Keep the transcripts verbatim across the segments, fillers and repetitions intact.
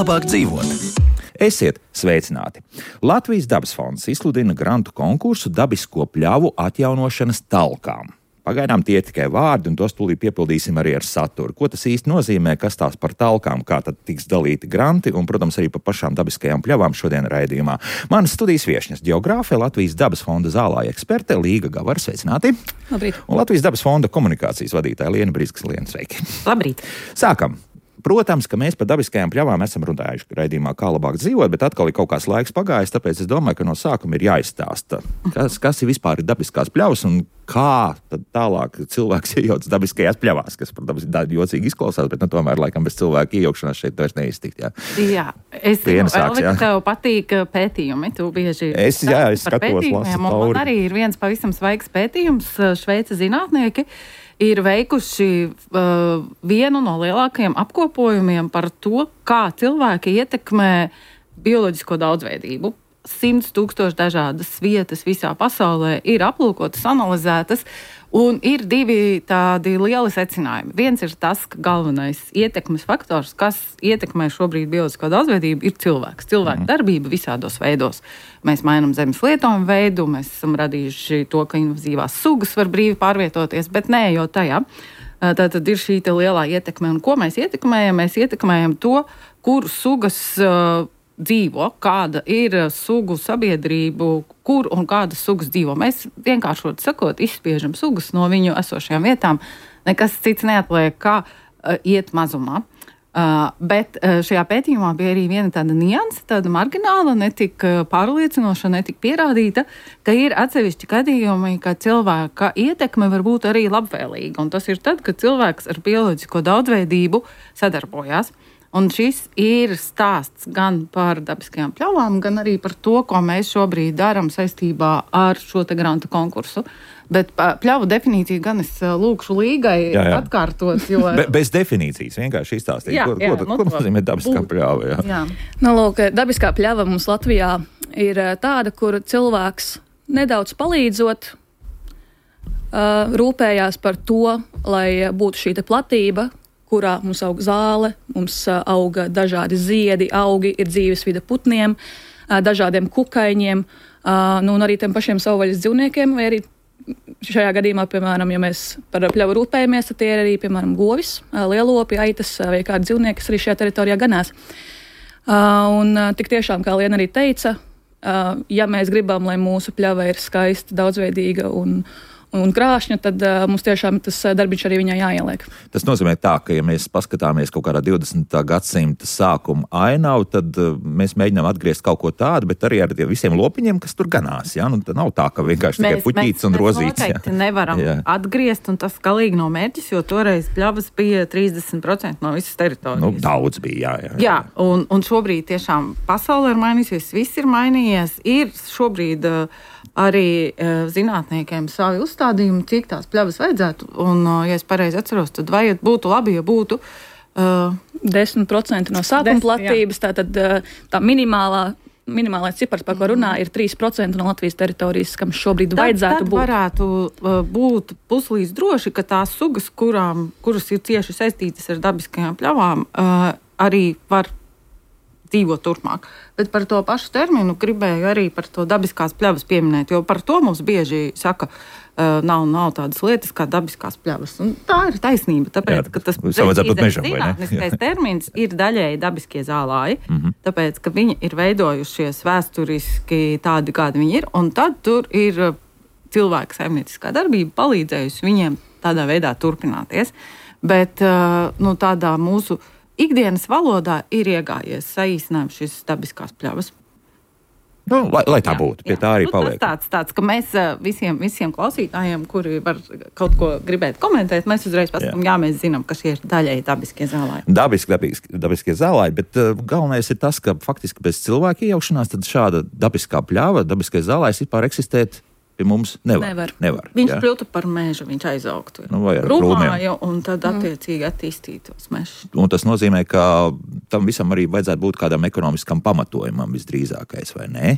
Labāk dzīvot. Esiet sveicināti! Latvijas dabas fonds izsludina grantu konkursu dabisko pļavu atjaunošanas talkām. Pagaidām tie tikai vārdi, un tos tūlīt piepildīsim arī ar saturu. Ko tas īsti nozīmē, kas tās par talkām, kā tad tiks dalīti granti, un, protams, arī par pašām dabiskajām pļavām šodien raidījumā. Manas studijas viešņas geogrāfe, Latvijas dabas fonda zālāja eksperte Līga Gavara, sveicināti! Labrīt! Un Latvijas dabas fonda komunikācijas vadītāja Liena Briskas. Liena, sveiki! Labrīt! Sākam! Protams, ka mēs par dabiskajām pļavām esam runājuši raidījumā, kā labāk dzīvot, bet atkal ir kaut kāds laiks pagājis, tāpēc es domāju, ka no sākuma ir jāizstāsta, kas, kas ir vispār ir dabiskās pļavas un kā tad tālāk cilvēks iejaucas dabiskajās pļavās, kas, protams, ir jocīgi izklausās, bet nu, tomēr laikam bez cilvēka iejaukšanās šeit vairs neiztikt. Jā, jā es zinu, Elvi, ka tev patīk pētījumi, tu bieži es, jā, es skatos, lasu cauri. Man arī ir viens pavisam svaigs pētījums, Šveices zinātnieki ir veikuši uh, vienu no lielākajiem apkopojumiem par to, kā cilvēki ietekmē bioloģisko daudzveidību. Simts tūkstoši dažādas vietas visā pasaulē ir aplūkotas, analizētas, un ir divi tādi lieli secinājumi. Viens ir tas, ka galvenais ietekmes faktors, kas ietekmē šobrīd bioloģisko daudzveidību, ir cilvēks. Cilvēka darbība visādos veidos. Mēs mainām zemes lietojumu veidu, mēs esam radījuši to, ka invazīvās sugas var brīvi pārvietoties, bet nē jau tajā. Tā tad ir šī te lielā ietekme. Un ko mēs ietekmējam? Mēs ietekmējam to, kur sugas uh, dzīvo, kāda ir sugu sabiedrību, kur un kādas sugas dzīvo. Mēs vienkāršot sakot, izspiežam sugas no viņu esošajām vietām. Nekas cits neatliek, kā uh, iet mazumā. Uh, bet uh, šajā pētījumā bija arī viena tāda nianse, tāda margināla, netik uh, pārliecinoša, netik pierādīta, ka ir atsevišķi gadījumi, ka cilvēka ietekme var būt arī labvēlīga. Un tas ir tad, kad cilvēks ar bioloģisko daudzveidību sadarbojās. Un šis ir stāsts gan par dabiskajām pļavām, gan arī par to, ko mēs šobrīd darām saistībā ar šo te grantu konkursu. Bet pļavu definīciju gan es lūkšu Līgai jā, jā. atkārtot. Jo... Be, bez definīcijas vienkārši izstāstīt, jā, ko, jā, ko, ko nozīmē dabiskā būt. pļava. Jā. Jā. Nu, lūk, dabiskā pļava mums Latvijā ir tāda, kur cilvēks nedaudz palīdzot, uh, rūpējās par to, lai būtu šī te platība, kurā mums aug zāle, mums auga dažādi ziedi, augi, ir dzīvesvide putniem, dažādiem kukaiņiem, nu, un arī tiem pašiem savvaļas dzīvniekiem, vai arī šajā gadījumā, piemēram, ja mēs par pļavu rūpējamies, tad tie ir arī, piemēram, govis, lielopi, aitas vai kādi dzīvnieki, kas arī šajā teritorijā ganās. Un tik tiešām, kā Liena arī teica, ja mēs gribam, lai mūsu pļava ir skaista, daudzveidīga un un krāšņa, tad uh, mums tiešām tas darbiņš arī viņai jāieliek. Tas nozīmē tā, ka ja mēs paskatāmies kaut kādā divdesmitā gadsimta sākuma ainavu, tad uh, mēs mēģinām atgriezt kaut ko tādu, bet arī ar visiem lopiņiem, kas tur ganās. Ja? Nu, tad nav tā, ka vienkārši mēs, tikai puķītis un rozītis. Mēs noteikti nevaram jā. atgriezt, un tas galīgi nav mērķis, jo toreiz pļavas bija trīsdesmit procenti no visas teritorijas. Nu, daudz bija, jā. Jā, jā. jā un, un šobrīd tiešām pasaule ir mainījusies, viss ir mainījies. Ir šobrīd uh, arī uh, zinātniekiem savi uzstādījumi, cik tās pļavas vajadzētu. Un, uh, ja es pareizi atceros, tad vajad, būtu labi, ja būtu uh, desmit procenti no sākuma platības, tātad uh, tā minimālā, minimālais cipars, par ko runā, ir trīs procenti no Latvijas teritorijas, kam šobrīd tad, vajadzētu tad būt. Tad varētu uh, būt puslīdz droši, ka tās sugas, kurām, kuras ir cieši saistītas ar dabiskajām pļavām, uh, arī var dzīvot turpmāk. Bet par to pašu terminu gribēju arī par to dabiskās pļavas pieminēt, jo par to mums bieži saka, uh, nav, nav tādas lietas kā dabiskās pļavas. Un tā ir taisnība, tāpēc, jā, ka tas zinātniskais termins ir daļēji dabiskie zālāji, mm-hmm. tāpēc, ka viņi ir veidojušies vēsturiski tādi, kādi viņi ir, un tad tur ir cilvēka saimnieciskā darbība palīdzējusi viņiem tādā veidā turpināties. Bet uh, nu, tādā mūsu ikdienas valodā ir iegājies saīsinājums šīs dabiskās pļavas. Nu, lai, lai tā jā, būtu, pie jā. tā arī nu, paliek. Tas tāds, tāds, ka mēs visiem, visiem klausītājiem, kuri var kaut ko gribēt komentēt, mēs uzreiz pasakām, jā. jā, mēs zinām, ka šie ir daļēji dabiskie zālāji. Dabiski, dabiski, dabiskie zālāji, bet uh, galvenais ir tas, ka faktiski bez cilvēka iejaukšanās tad šāda dabiskā pļava, dabiskais zālājs vispār eksistēt Pie mums nevar. Nevar. nevar viņš jā. kļūtu par mežu, viņš aizaugtu. Nu, vai ar Krūmāju, un tad attiecīgi attīstītos mežs. Un tas nozīmē, ka tam visam arī vajadzētu būt kādam ekonomiskam pamatojumam visdrīzākais, vai ne?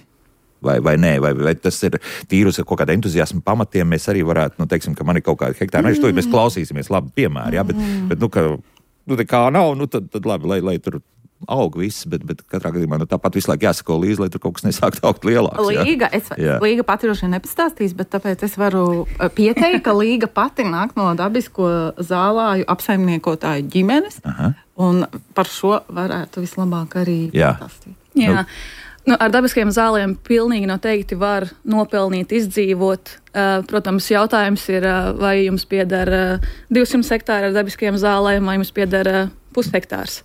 Vai, vai nē, vai, vai tas ir tīrus ar kaut kādu entuziasmu pamatiem, mēs arī varētu, nu, teiksim, ka man ir kaut kāda hektāra meža, to mēs klausīsimies, labi piemēri, jā, bet, bet nu, ka, nu, tā kā nav, nu, tad, tad labi, lai, lai tur aug viss, bet, bet katrā gadījumā nu, tāpat visu laiku jāsako līdzi, lai tur kaut kas nesākt augt lielāks. Līga, es, Līga pati droši vien nepastāstīs, bet tāpēc es varu pieteikt, ka Līga pati nāk no dabisko zālāju apsaimniekotāju ģimenes, Aha. un par šo varētu vislabāk arī pastāstīt. Jā. Nu, ar dabiskajiem zālēm pilnīgi noteikti var nopelnīt, izdzīvot. Protams, jautājums ir, vai jums pieder divsimt hektāri ar dabiskajiem zālēm, vai jums pieder pushektārs.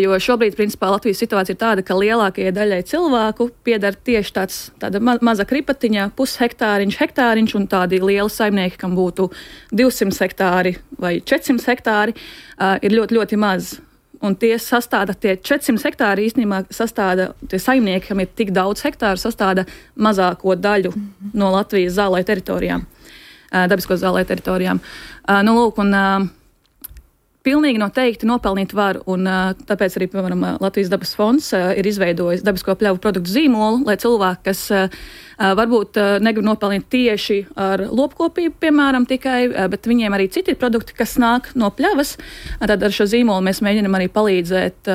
Jo šobrīd, principā, Latvijas situācija ir tāda, ka lielākajai daļai cilvēku pieder tieši tāds, tāda ma maza kripatiņa, pushektāriņš, hektāriņš, un tādi lieli saimnieki, kam būtu divsimt hektāri vai četrsimt hektāri, ir ļoti, ļoti maz. Un tie sastāda, tie četrsimt hektāri īstenībā sastāda, tie saimnieki, kam ir tik daudz hektāru, sastāda mazāko daļu mm-hmm. no Latvijas zālē teritorijām, dabisko zālē teritorijām. Nu, lūk, un pilnīgi noteikti nopelnīt var, un tāpēc arī, piemēram, Latvijas dabas fonds ir izveidojis dabisko pļavu produktu zīmolu, lai cilvēki, kas varbūt negrib nopelnīt tieši ar lopkopību, piemēram, tikai, bet viņiem arī citi produkti, kas nāk no pļavas, tad ar šo zīmolu mēs mēģinam arī palīdzēt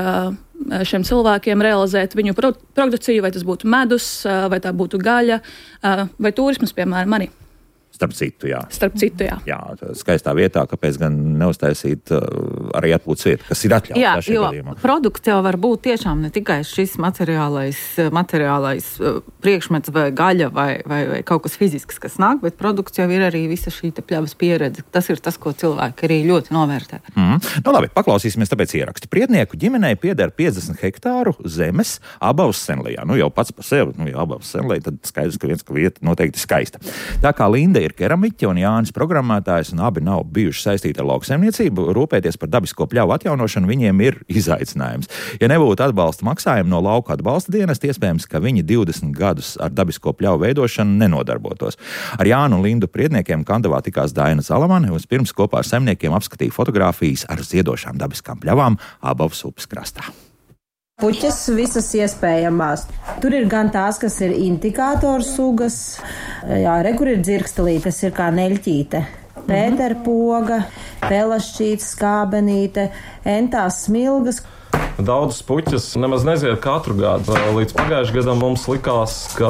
šiem cilvēkiem realizēt viņu produkciju, vai tas būtu medus, vai tā būtu gaļa, vai turismas, piemēram, arī. Starp citu, jā. Starp citu, jā. Jā, skaistā vietā, kāpēc gan neuztaisīt uh, arī atpūtas vietu, kas ir atļauts. Jā, jo gadījumā. Produkts jau var būt tiešām ne tikai šis materiālais, materiālais uh, priekšmets vai gaļa vai, vai, vai kaut kas fizisks, kas nāk, bet produkts jau ir arī visa šī te pļavas pieredze. Tas ir tas, ko cilvēki arī ļoti novērtē. Mm. Nu labi, paklausīsimies tāpēc ierakstu. Priednieku ģimenei pieder piecdesmit hektāru zemes Abavas Senlijā. Nu jau pats par sevi, nu jau Abavas Senlijā, tad skaidrs, ka viens, ka vieta noteikti skaista. Tā kā Linda ir keramiķe un Jānis programmētājs, un abi nav bijuši saistīti ar lauksaimniecību, rūpēties par dabisko pļavu atjaunošanu viņiem ir izaicinājums. Ja nebūtu atbalsta maksājumu no lauka atbalsta dienesta, iespējams, ka viņi divdesmit gadus ar dabisko pļavu veidošanu nenodarbotos. Ar Jānu un Lindu Priedniekiem Kandavā tikās Daina Zalamane, un pirms kopā ar saimniekiem apskatīja fotogrāfijas ar ziedošām dabiskām pļavām Abavas upes krastā. Puķes visas iespējamās. Tur ir gan tās, kas ir indikātoru sugas, jā, re, kur ir dzirkstelīte, tas ir kā neļķīte, pēterpoga, pelašķīte, skābenīte, entās smilgas. Daudzas puķes nemaz nezied katru gadu. Līdz pagājušajam gadam mums likās, ka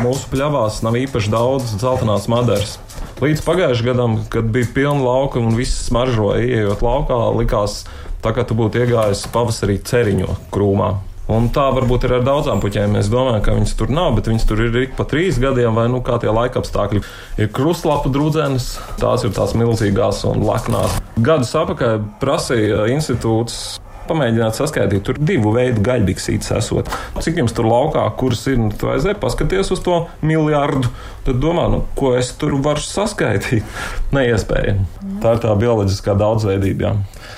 mūsu pļavās nav īpaši daudz dzeltenās madaras. Līdz pagājušajam gadam, kad bija pilna lauka un viss smaržoja, ieejot laukā, likās, tā kā tu būtu iegājis pavasarī ceriņo krūmā. Un tā varbūt ir ar daudzām puķēm. Mēs domājam, ka viņas tur nav, bet viņas tur ir ik pa trīs gadiem, vai nu kā tie laikapstākļi. Ir krustlapu drudzenes, tās ir tās milzīgās un laknās. Gadus apakaļ prasīja institūts pamēģināt saskaitīt, tur divu veidu gaļbiksītes esot. Cik jums tur laukā, kuras ir, nu, tu aizēji paskaties uz to miljardu, tad domā, nu, ko es tur varu saskaitīt? Neiespējami. Tā ir tā bioloģiskā daudzveidība, jā.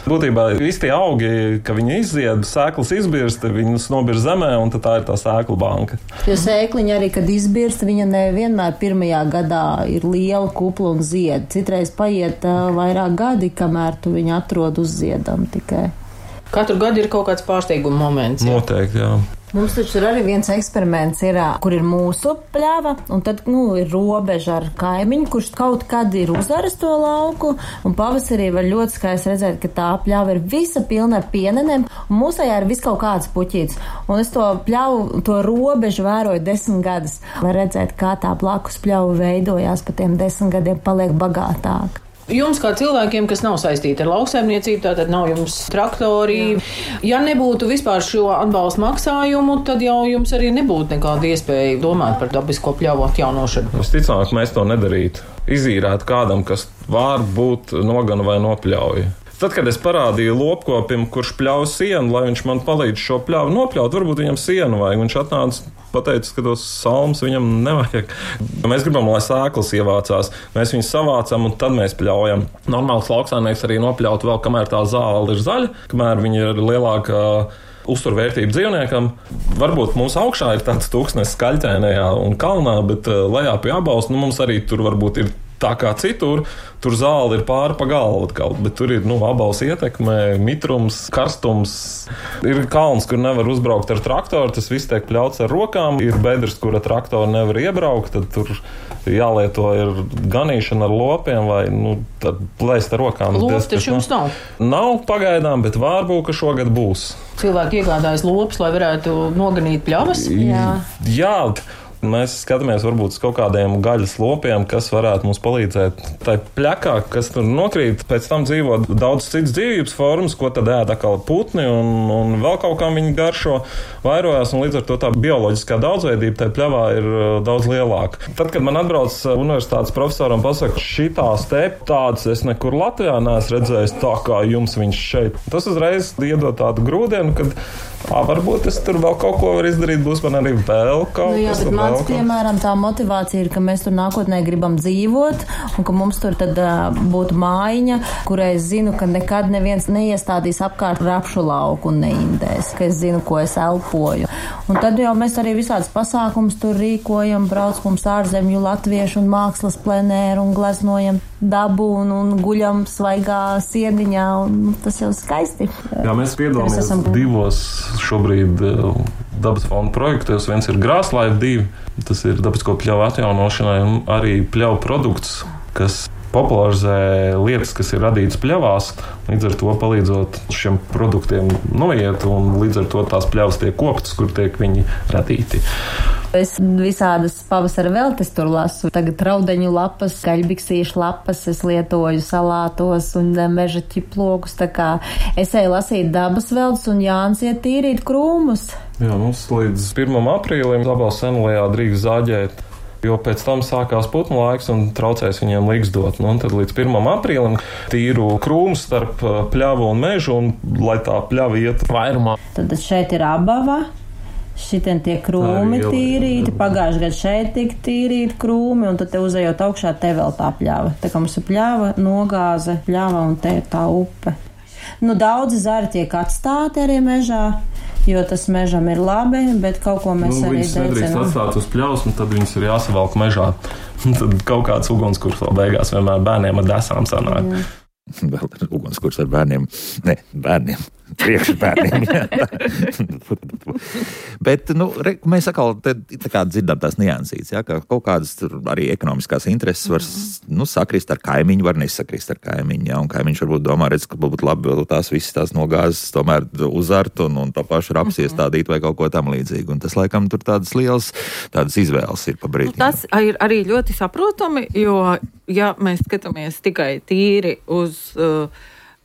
Būtībā visi tie augi, ka viņi izzied, sēklas izbirst, viņas nobirst zemē, un tad tā ir tā sēklu banka. Jo sēkliņa arī, kad izbirst, viņa nevienmēr pirmajā gadā ir liela, kupla un zied. Citreiz paiet uh, vairāk gadi, kamēr tu viņu atrod uz ziedam tikai. Katru gadu ir kaut kāds pārsteiguma moments. Jā. Noteikti, jā. Mums taču ir arī viens eksperiments, ir, kur ir mūsu pļava, un tad, nu, ir robeža ar kaimiņu, kurš kaut kad ir uzaris to lauku, un pavasarī var ļoti skaisti redzēt, ka tā pļava ir visa pilna ar pienenēm, un mūsējā ir vis kaut kāds puķīts. Un es to pļavu, to robežu vēroju desmit gadus. Var redzēt, kā tā blakus pļava veidojās, pa tiem desmit gadiem paliek bagātāk. Jums, kā cilvēkiem, kas nav saistīti ar lauksaimniecību, tātad nav jums traktori. Jā. Ja nebūtu vispār šo atbalstu maksājumu, tad jau jums arī nebūtu nekāda iespēja domāt par dabisko pļavu atjaunošanu. Visticamāk, mēs to nedarītu. Izīrēt kādam, kas var būt nogana vai nopļauja. Tad, kad es parādīju lopkopim, kurš pļauj sienu, lai viņš man palīdz šo pļavu nopļaut, varbūt viņam sienu vajag. Viņš atnāca, pateica, ka tos salmus viņam nevajag. Mēs gribam, lai sēklas ievācās. Mēs viņus savācam un tad mēs pļaujam. Normāls lauksaimnieks arī nopļaut vēl, kamēr tā zāle ir zaļa, kamēr viņa ir lielāka uzturvērtību dzīvniekam. Varbūt mums augšā ir tāds tūkstnes Skaļķainajā un kalnā, bet lejā pie Abaus, nu, mums arī tur varbūt ir tā kā citur, tur zāle ir pāri pa galvu atkal, bet tur ir, nu, Abaus ietekme, mitrums, karstums. Ir kalns, kur nevar uzbraukt ar traktoru, tas viss tiek pļauts ar rokām. Ir bedres, kura traktoru nevar iebraukt, tad tur jālieto ir ganīšana ar lopiem vai, nu, tad plēst ar rokām. Lops taču jums nav? Nav pagaidām, bet varbūt, ka šogad būs. Cilvēki iegādājas lopus, lai varētu noganīt pļavas? Jā. Jā. Mēs skatāmies varbūt uz kaut kādiem gaļas lopiem, kas varētu mums palīdzēt. Tā pļakā, kas tur nokrīt, pēc tam dzīvo daudz citas dzīvības formas, ko tad ēd atkal putni un, un vēl kaut kā viņi garšo, vairojās, un līdz ar to tā bioloģiskā daudzveidība tai pļavā ir daudz lielāka. Tad, kad man atbrauc universitātes profesoram pasaka, šitās te tādas es nekur Latvijā neesmu redzējis tā kā jums viņš šeit. Tas uzreiz iedod tādu grūdienu, kad ā, varbūt es tur vēl kaut ko var izdarīt, būs man arī vēl kaut nu, jā, kas. Mans, piemēram, tā motivācija ir, ka mēs tur nākotnē gribam dzīvot un ka mums tur tad uh, būtu mājiņa, kurai es zinu, ka nekad neviens neiestādīs apkārt rapšu lauku un neindēs, ka es zinu, ko es elpoju. Un tad jau mēs arī visādas pasākums tur rīkojam, brauc mums ārzemju latviešu un mākslas plenēru un gleznojam dabu un, un guļam svaigā sieniņā un tas jau skaisti. Jā, mēs piedalāmies esam... divos šobrīd dabas fonda projektos. Viens ir Grāslaiva divi, tas ir dabisko pļauju atjaunošanai un arī pļauju produkts, kas popularizē lietas, kas ir radītas pļavās, līdz ar to palīdzot šiem produktiem noiet un līdz ar to tās pļavas tiek koptas, kur tiek viņi radīti. Es visādas pavasara veltes tur lasu. Tagad raudeņu lapas, kaļbiksīšu lapas es lietoju salātos un meža ķiplokus. Tā kā es eju lasīt dabas veltes un Jānis iet tīrīt krūmus. Jā, mums līdz pirmam aprīlim Abaus senlējā drīkst zāģēt, jo pēc tam sākās putnu laiks un traucēs viņiem līgsdot. Nu, un tad līdz pirmam aprīlim tīru krūmus starp pļavu un mežu, un lai tā pļava iet vairumā. Tad šeit ir Abava. Šitien tiek krūmi tīrīti, pagājušajā gadā šeit tika tīrīti krūmi, un tad te uzejot augšā te vēl tā pļava. Tā kā mums ir pļava, nogāze, pļava un te ir tā upe. Nu, daudzi zari tiek atstāti arī mežā, jo tas mežam ir labi, bet kaut ko mēs nu, arī dedzinām. Viņas nedrīkst atstāt uz pļavas, un tad viņas ir jāsavalk mežā. Tad kaut kāds ugunskurs vēl beigās vienmēr bērniem ar desām sanāk. Mm. Vēl ir ugunskurs ar bērniem. Ne, bērniem. Priekšbērniem. Bet, nu, re, mēs atkal te, tā kā dzirdam tās niansītes, ja, ka kaut kādas arī ekonomiskās intereses var nu, sakrist ar kaimiņu, var nesakrist ar kaimiņu, ja, un kaimiņš varbūt domā, redz, ka būtu labi vēl tās visas tās nogāzes tomēr uzart un, un tā paša raps iestādīt vai kaut ko tam līdzīgu. Un tas, laikam, tur tādas lielas tādas izvēles ir pa brīdi. Nu, tas ir arī ļoti saprotami, jo, ja mēs skatāmies tikai tīri uz uh,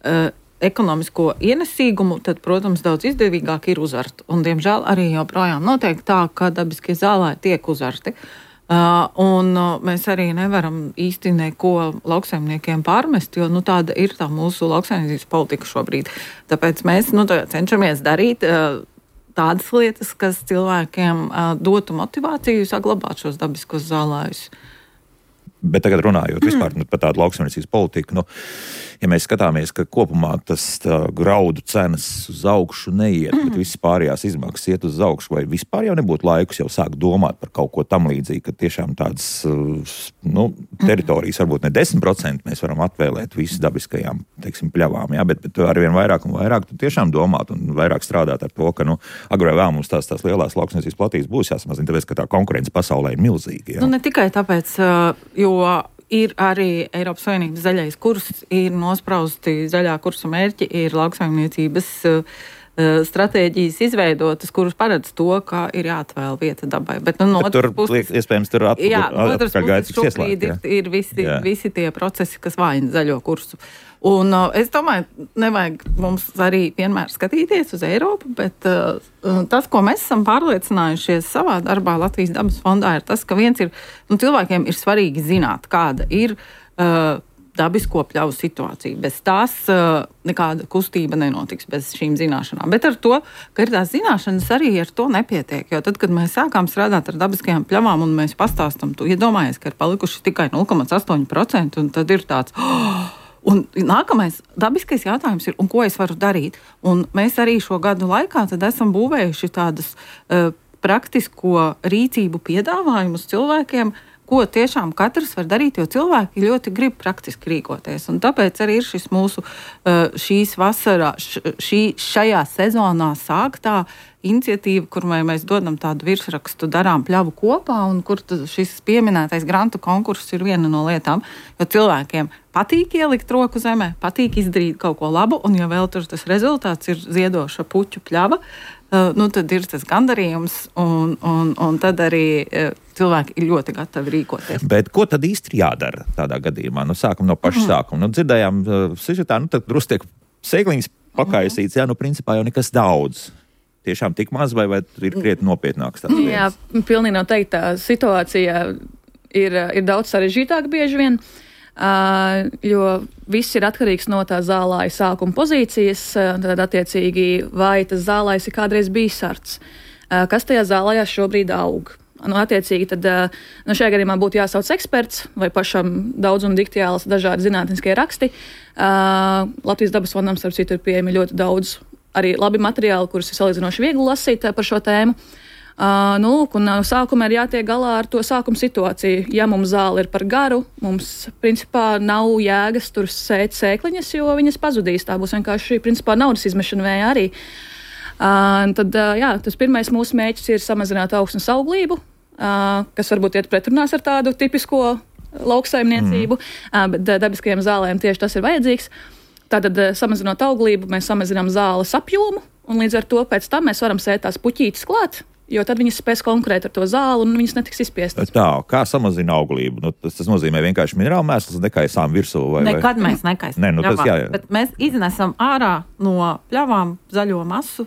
uh, ekonomisko ienesīgumu, tad, protams, daudz izdevīgāk ir uzart. Un, diemžēl, arī joprojām notiek tā, ka dabiskie zālāji tiek uzarti. Uh, un uh, mēs arī nevaram īsti neko lauksaimniekiem pārmest, jo nu, tāda ir tā mūsu lauksaimniecības politika šobrīd. Tāpēc mēs nu, cenšamies darīt uh, tādas lietas, kas cilvēkiem uh, dotu motivāciju saglabāt šos dabiskos zālājus. Bet tagad runājot mm. vispār par tādu lauksaimniecības politiku, nu, ja mēs skatāmies, ka kopumā tas graudu cenas uz augšu neiet, mm. bet visas pārējās izmaksas iet uz augšu, vai vispār jau nebūtu laikus jau sākt domāt par kaut ko tam līdzīgi, ka tiešām tādas nu, teritorijas, varbūt ne desmit procenti mēs varam atvēlēt visu dabiskajām, teiksim, pļavām, jā, bet, bet arvien vairāk un vairāk tu tiešām domāt un vairāk strādāt ar to, ka, nu, agrāk vēl mums tās, tās lielās lauksaimniecības platības būs jāsamazina, tāpēc, ka tā konkurence pasaulē ir milzīga. Jā. Nu, ne tikai tāpēc, jo ir arī Eiropas Savienības zaļais kurs, ir nosprausti zaļā kursa mērķi, ir lauksaimniecības uh, stratēģijas izveidotas, kuras paredz to, ka ir jāatvēl vieta dabai. Bet, nu, no Bet tur, puses, iespējams, tur atpakaļ, jā, no otras puses šobrīd ir, ir visi, jā. visi tie procesi, kas vājina zaļo kursu. Un uh, es domāju, nevajag mums arī vienmēr skatīties uz Eiropu, bet uh, tas, ko mēs esam pārliecinājušies savā darbā Latvijas dabas fondā, ir tas, ka viens ir, nu, cilvēkiem ir svarīgi zināt, kāda ir uh, dabisko pļauju situācija. Bez tās uh, nekāda kustība nenotiks bez šīm zināšanām. Bet ar to, ka ir tās zināšanas, arī ar to nepietiek. Jo tad, kad mēs sākām strādāt ar dabiskajām pļavām un mēs pastāstam, tu iedomājies, ka ir palikuši tikai nulle komats astoņi procenti un tad ir tāds... Oh, Un nākamais dabiskais jautājums ir, un ko es varu darīt? Un mēs arī šo gadu laikā tad esam būvējuši tādas uh, praktisko rīcību piedāvājumus cilvēkiem, ko tiešām katrs var darīt, jo cilvēki ļoti grib praktiski rīkoties. Un tāpēc arī ir šis mūsu uh, šīs vasarā, šī, šajā sezonā sāktā iniciatīva, kur mēs dodam tādu virsrakstu darām pļavu kopā, un kur šis pieminētais grantu konkurss ir viena no lietām, jo cilvēkiem patīk ielikt roku zemē, patīk izdarīt kaut ko labu, un ja vēl tur tas rezultāts ir ziedoša puķu pļava, uh, nu tad ir tas gandarījums, un, un, un tad arī uh, cilvēki ir ļoti gatavi rīkoties. Bet ko tad īsti jādara tādā gadījumā? Nu, sākam no paša mm. sākuma. Nu, dzirdējām uh, sižetā, nu tad drusku tiek sēkliņas pakaisīts, jā, nu principā jau nekas daudz. Tiešām tik maz, vai, vai ir krietni nopietnāks tās lietas? Jā, pilnīgi noteikti tā situācija ir, ir daudz sarežģītāka bieži vien, uh, jo viss ir atkarīgs no tā zālāja sākuma pozīcijas, tad attiecīgi vai tas zālājs ir kādreiz bijis sarts, uh, kas tajā zālājā šobrīd aug. Nu, attiecīgi, tad nu, šajā gadījumā būtu jāsauc eksperts vai pašam daudz un diktiāls dažādi zinātniskie raksti. Uh, Latvijas dabas fondam, starp citu, ir pieejami ļoti daudz arī labi materiāli, kurus ir salīdzinoši viegli lasīt par šo tēmu. Uh, nu, un sākumā ir jātiek galā ar to sākuma situāciju. Ja mums zāle ir par garu, mums principā nav jēgas tur sēt sēkliņas, jo viņas pazudīs. Tā būs vienkārši principā naudas izmešana vējā arī. Uh, tad, uh, jā, tas pirmais mūsu mērķis ir samazināt augsnes auglību, uh, kas varbūt iet pretrunās ar tādu tipisko lauksaimniecību, mm. uh, bet dabiskajiem zālēm tieši tas ir vajadzīgs. Tātad, samazinot auglību, mēs samazinām zāles apjomu, un līdz ar to pēc tam mēs varam sēt tās puķītes klāt, jo tad viņas spēs konkurēt ar to zāli, un viņas netiks izspiestas. Tā, kā samazina auglību? Nu, tas, tas nozīmē vienkārši minerālu mēsls, nekaisām virsū? Vai, Nekad vai? mēs nekaisām ne, nu, tas, jā, jā. Bet mēs iznesam ārā no pļavām zaļo masu,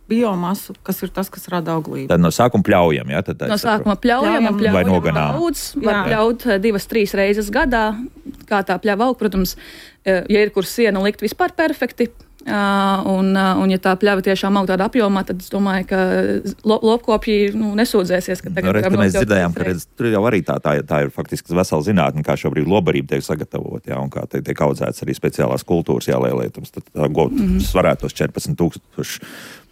biomasu, kas ir tas, kas rada auglību. Tad no sākuma pļaujam, jā? Tad no sākuma pļaujam, un pļaujam vai noganām? Daudz, var pļaut divas, trīs reizes gadā, kā tā pļava aug. Protams, ja ir kur siena likt vispār perfekti, un, un ja tā pļava tiešām aug tādā apjomā, tad es domāju, ka lopkopji nu, nesūdzēsies, ka tagad... No, redz, mēs dzirdējām, ka redz, tur jau arī tā, tā, tā ir faktiski vesela zinātne, kā šobrīd lobarība tiek sagatavot, jā, un kā te, tiek audzēts arī speciālās kultūras jālielēt, tad tā got mm-hmm. svarētu tos četrpadsmit tūkstoši